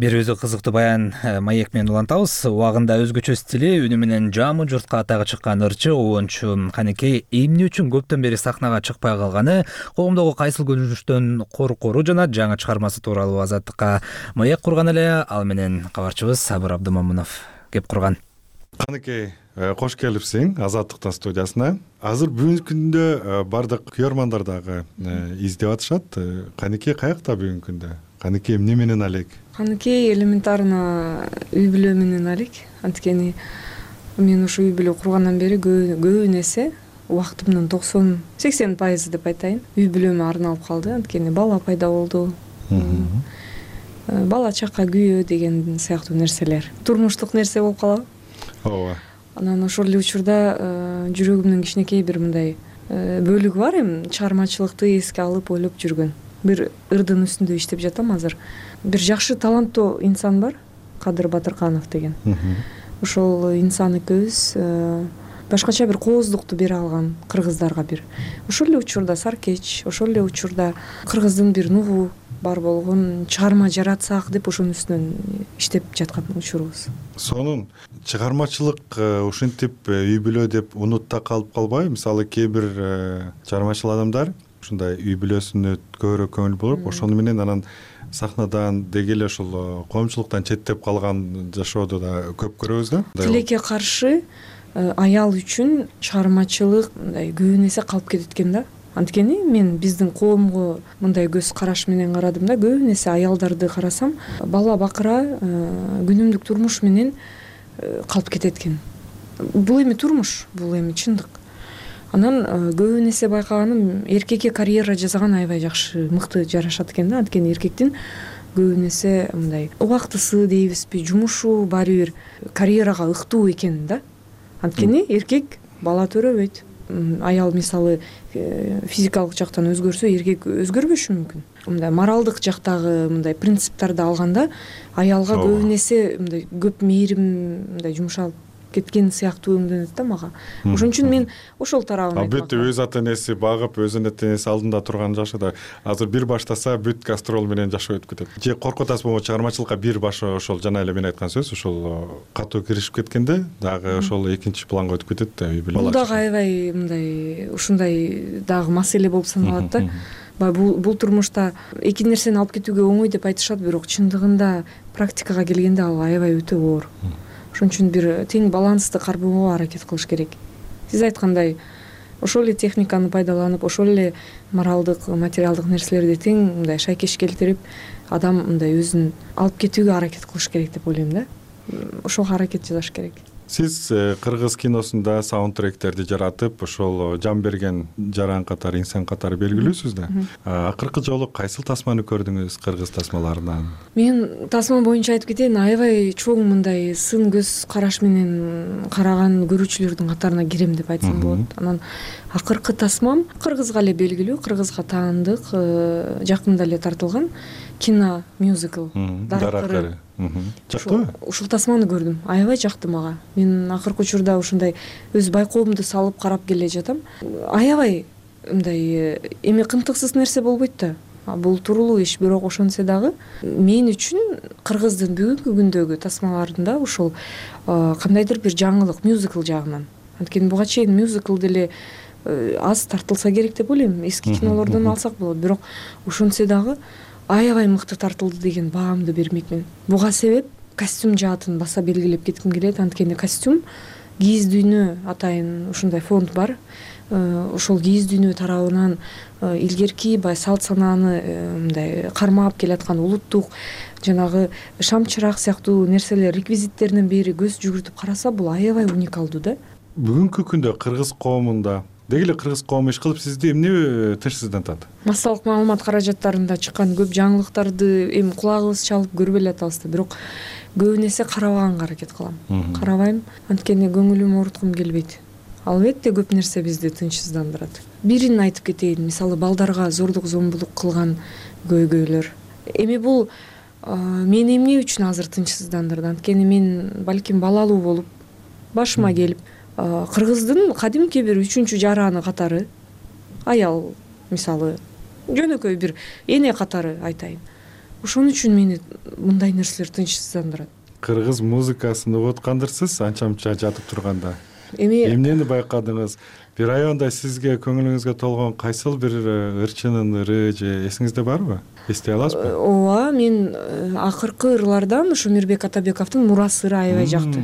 Бир өзү кызыктуу баян маек менен улантабыз. Убагында өзгөчө стили, үнү менен жамы журтка атагы чыккан ырчы оончу Канекей эмне үчүн көптөн бери сахнага чыкпай калганы, коомдогу кайсыл көрүнүштөн коркору жана жаңы чыгармасы тууралуу Азаттыкка маек курган эле. Ал менен кабарчыбыз Сабыр Абдымамунов кеп курган. Каныкей, кош келипсиң Азаттыктын студиясына. Азыр бүгүнкү күндө бардык күйөрмандар дагы издеп атышат. Каныкей каякта бүгүнкү күндө? Каныкей эмне менен алек? Каныкей элементарно үй бүлө менен алек. Анткени мен ушу үй бүлө кургандан бери көбүн эсе убактымдын токсон сексен пайызы деп айтайын үй бүлөмө арналып калды. Анткени бала пайда болду. Бала чака күйөө деген сыяктуу нерселер турмуштук нерсе болуп калабы. Ооба. Анан ошол эле учурда жүрөгүмдүн кичинекей бир мындай бөлүгү бар. Эми чыгармачылыкты эске алып ойлоп жүргөн. Бир ырдын үстүндө иштеп жатам азыр. Бир жакшы таланттуу инсан бар, Кадыр Батырканов деген. Ошол инсан экөөбүз башкача бир кооздукту бере алган кыргыздарга бир. Ошол эле учурда Саркеч, ошол эле учурда кыргыздын бир нугу бар болгон чыгарма жаратсак деп ошонун үстүнөн иштеп жаткан учурубуз. Сонун чыгармачылык ушинтип үй бүлө деп унутта калып калбайбы? Мисалы кээ бир чыгармачыл адамдар ушундай үй бүлөсүнө көбүрөөк көңүл буруп, ошону менен анан сахнадан деги эле ошол коомчулуктан четтеп калган жашоодо да көп көрөбүз да. Тилекке каршы аял үчүн чыгармачылык мындай көбүн эсе калып кетет экен да. Анткени мен биздин коомго мындай көз караш менен карадым да, көбүн эсе аялдарды карасам, бала бакыра күнүмдүк турмуш менен калып кетет экен. Бул эми турмуш, бул эми чындык. Анан көбүн эсе байкаганым, эркекке карьера жасаган аябай жакшы, мыкты жарашат экен да. Анткени эркектин көбүн эсе мындай убактысы дейбизби, жумушу баары бир карьерага ыктуу экен да. Анткени эркек бала төрөбөйт. Аял мисалы физикалык жактан өзгөрсө, эркек өзгөрбөшү мүмкүн. Мындай моралдык жактагы мындай принциптерди алганда аялга көбүн эсе мындай көп мээрим мындай жумшалып кеткен сыяктуу өңдөнөт да мага. Ошон үчүн мен ошол тарабын айтмак. Бүт өз ата энеси багып, өзүнүн ата энеси алдында турган жашыда азыр бир баштаса бүт гастрол менен жашоо өтүп кетет. Же коркуп атасызбы, чыгармачылыкка бир башы ошол жана эле мен айткан сөз ошол катуу киришип кеткенде дагы ошол экинчи планга өтүп кетет да үй бүлө. Бул дагы аябай мындай ушундай дагы маселе болуп саналат да. Бул бул турмушта эки нерсени алып кетүүгө оңой деп айтышат, бирок чындыгында практикага келгенде ал аябай өтө оор. Ошон үчүн бир тең балансты кармоого аракет кылыш керек. Сиз айткандай, ошол эле техниканы пайдаланып, ошол эле моралдык, материалдык нерселерди тең мындай шайкеш келтирип, адам мындай өзүн алып кетүүгө аракет кылыш керек деп ойлойм да. Ошого аракет жасаш керек. Сиз кыргыз киносунда саундтректерди жаратып, ошол жан берген жаран катары, инсан катары белгилүүсүз да. Акыркы жолу кайсыл тасманы көрдүңүз кыргыз тасмаларынан? Мен тасма боюнча айтып кетейин, аябай чоң мындай сын көз караш менен караган көрүүчүлөрдүн катарына кирем деп айтсам болот. Анан акыркы тасмам кыргызга эле белгилүү, кыргызга таандык, жакында эле тартылган кино мюзикл Даракыры. Жактыбы? Ушул тасманы көрдүм. Аябай жакты мага. Мен акыркы учурда ушундай өз байкоомду салып карап келе жатам. Аябай мындай эми кымтыксыз нерсе болбойт да. Бул туруулуу иш, бирок ошонсо дагы мен үчүн кыргыздын бүгүнкү күндөгү тасмаларында ушул кандайдыр бир жаңылык мюзикл жагынан. Анткени буга чейин мюзикл деле аз тартылса керек деп ойлойм. Эски кинолордон алсак болот, бирок ошонсо дагы аябай мыкты тартылды деген баамды бермекмин. Буга себеп костюм жаатын баса белгилеп кетким келет. Анткени костюм кийиз дүйнө атайын ушундай фонд бар. Ошол кийиз дүйнө тарабынан илгерки бай салт санааны мындай кармап келаткан улуттук жанагы шам чырак сыяктуу нерселер, реквизиттеринен бери көз жүгүртүп караса, бул аябай уникалдуу да. Бүгүнкү күндө кыргыз коомунда деги эле кыргыз коому иш кылып сизди эмне тынчсыздантат? Массалык маалымат каражаттарында чыккан көп жаңылыктарды эми кулагыбыз чалып көрбөй эле атабыз да, бирок көбүн эсе карабаганга аракет кылам. Карабайм, анткени көңүлүмө ооруткум келбейт. Албетте көп нерсе бизди тынчсыздандырат. Бирин айтып кетейин, мисалы балдарга зордук зомбулук кылган көйгөйлөр. Эми бул мени эмне үчүн азыр тынчсыздандырды? Анткени мен балким балалуу болуп, башыма келип, кыргыздын кадимки бир үчүнчү жараны катары, аял мисалы, жөнөкөй бир эне катары айтайын. Ошон үчүн мени мындай нерселер тынчсыздандырат. Кыргыз музыкасын угуп аткандырсыз анча-мынча жатып турганда? Эми эмнени байкадыңыз? Бир аябай сизге көңүлүңүзгө толгон кайсыл бир ырчынын ыры же эсиңизде барбы? Эстей аласызбы? Ооба, мен акыркы ырлардан ушу Мирбек Атабековдун Мурас ыры аябай жакты.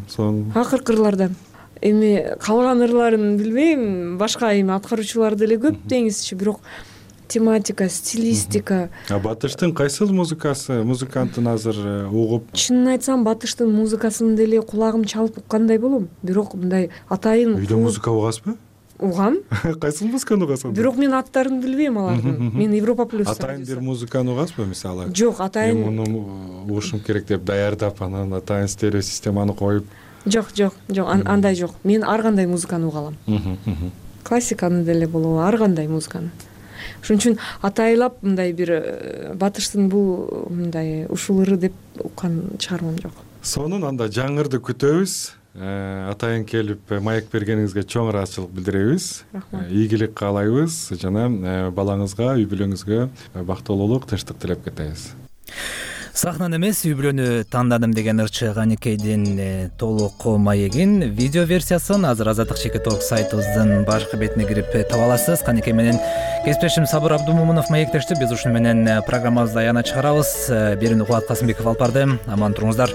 сонун акыркы ырлардан. Эми калган ырларын билбейм, башка эми аткаруучулар деле көп деңизчи, бирок тематика, стилистика. А батыштын кайсыл музыкасы музыкантын азыр угуп? Чынын айтсам, батыштын музыкасын деле кулагым чалып уккандай болом, бирок мындай атайын үйдө музыка угасызбы? Угам. Кайсыл музыканы угасың? Бирок мен аттарын билбейм алардын. Мен Европа плюс. Атайын бир музыканы угасызбы мисалы? Жок, атайын. Мен муну угушум керек деп даярдап, анан атайын стерео системаны коюп. Жок, жок, жок, андай жок. Мен ар кандай музыканы угалам. Классиканы деле болобу, ар кандай музыканы. Ошон үчүн атайлап мындай бир батыштын бул мындай ушул ыры деп уккан чыгармам жок. Сонун анда жаңырды күтөбүз. Атайын келип маек бергениңизге чоң ыраазычылык билдиребиз. Ийгилик каалайбыз жана балаңызга, үй бүлөңүзгө бактылуулук, тынчтык тилеп кетебиз. Сахнаны эмес, үй бүлөнү тандадым деген ырчы Каникейдин толук маегин видео версиясын азыр Азаттык чекит точка орг сайтыбыздын башкы бетине кирип таба аласыз. Каникей менен кесиптешим Сабыр Абдумомунов маектешти. Биз ушуну менен программабызды аягына чыгарабыз. Берүүнү Кубат Касымбеков алып барды. Аман туруңуздар.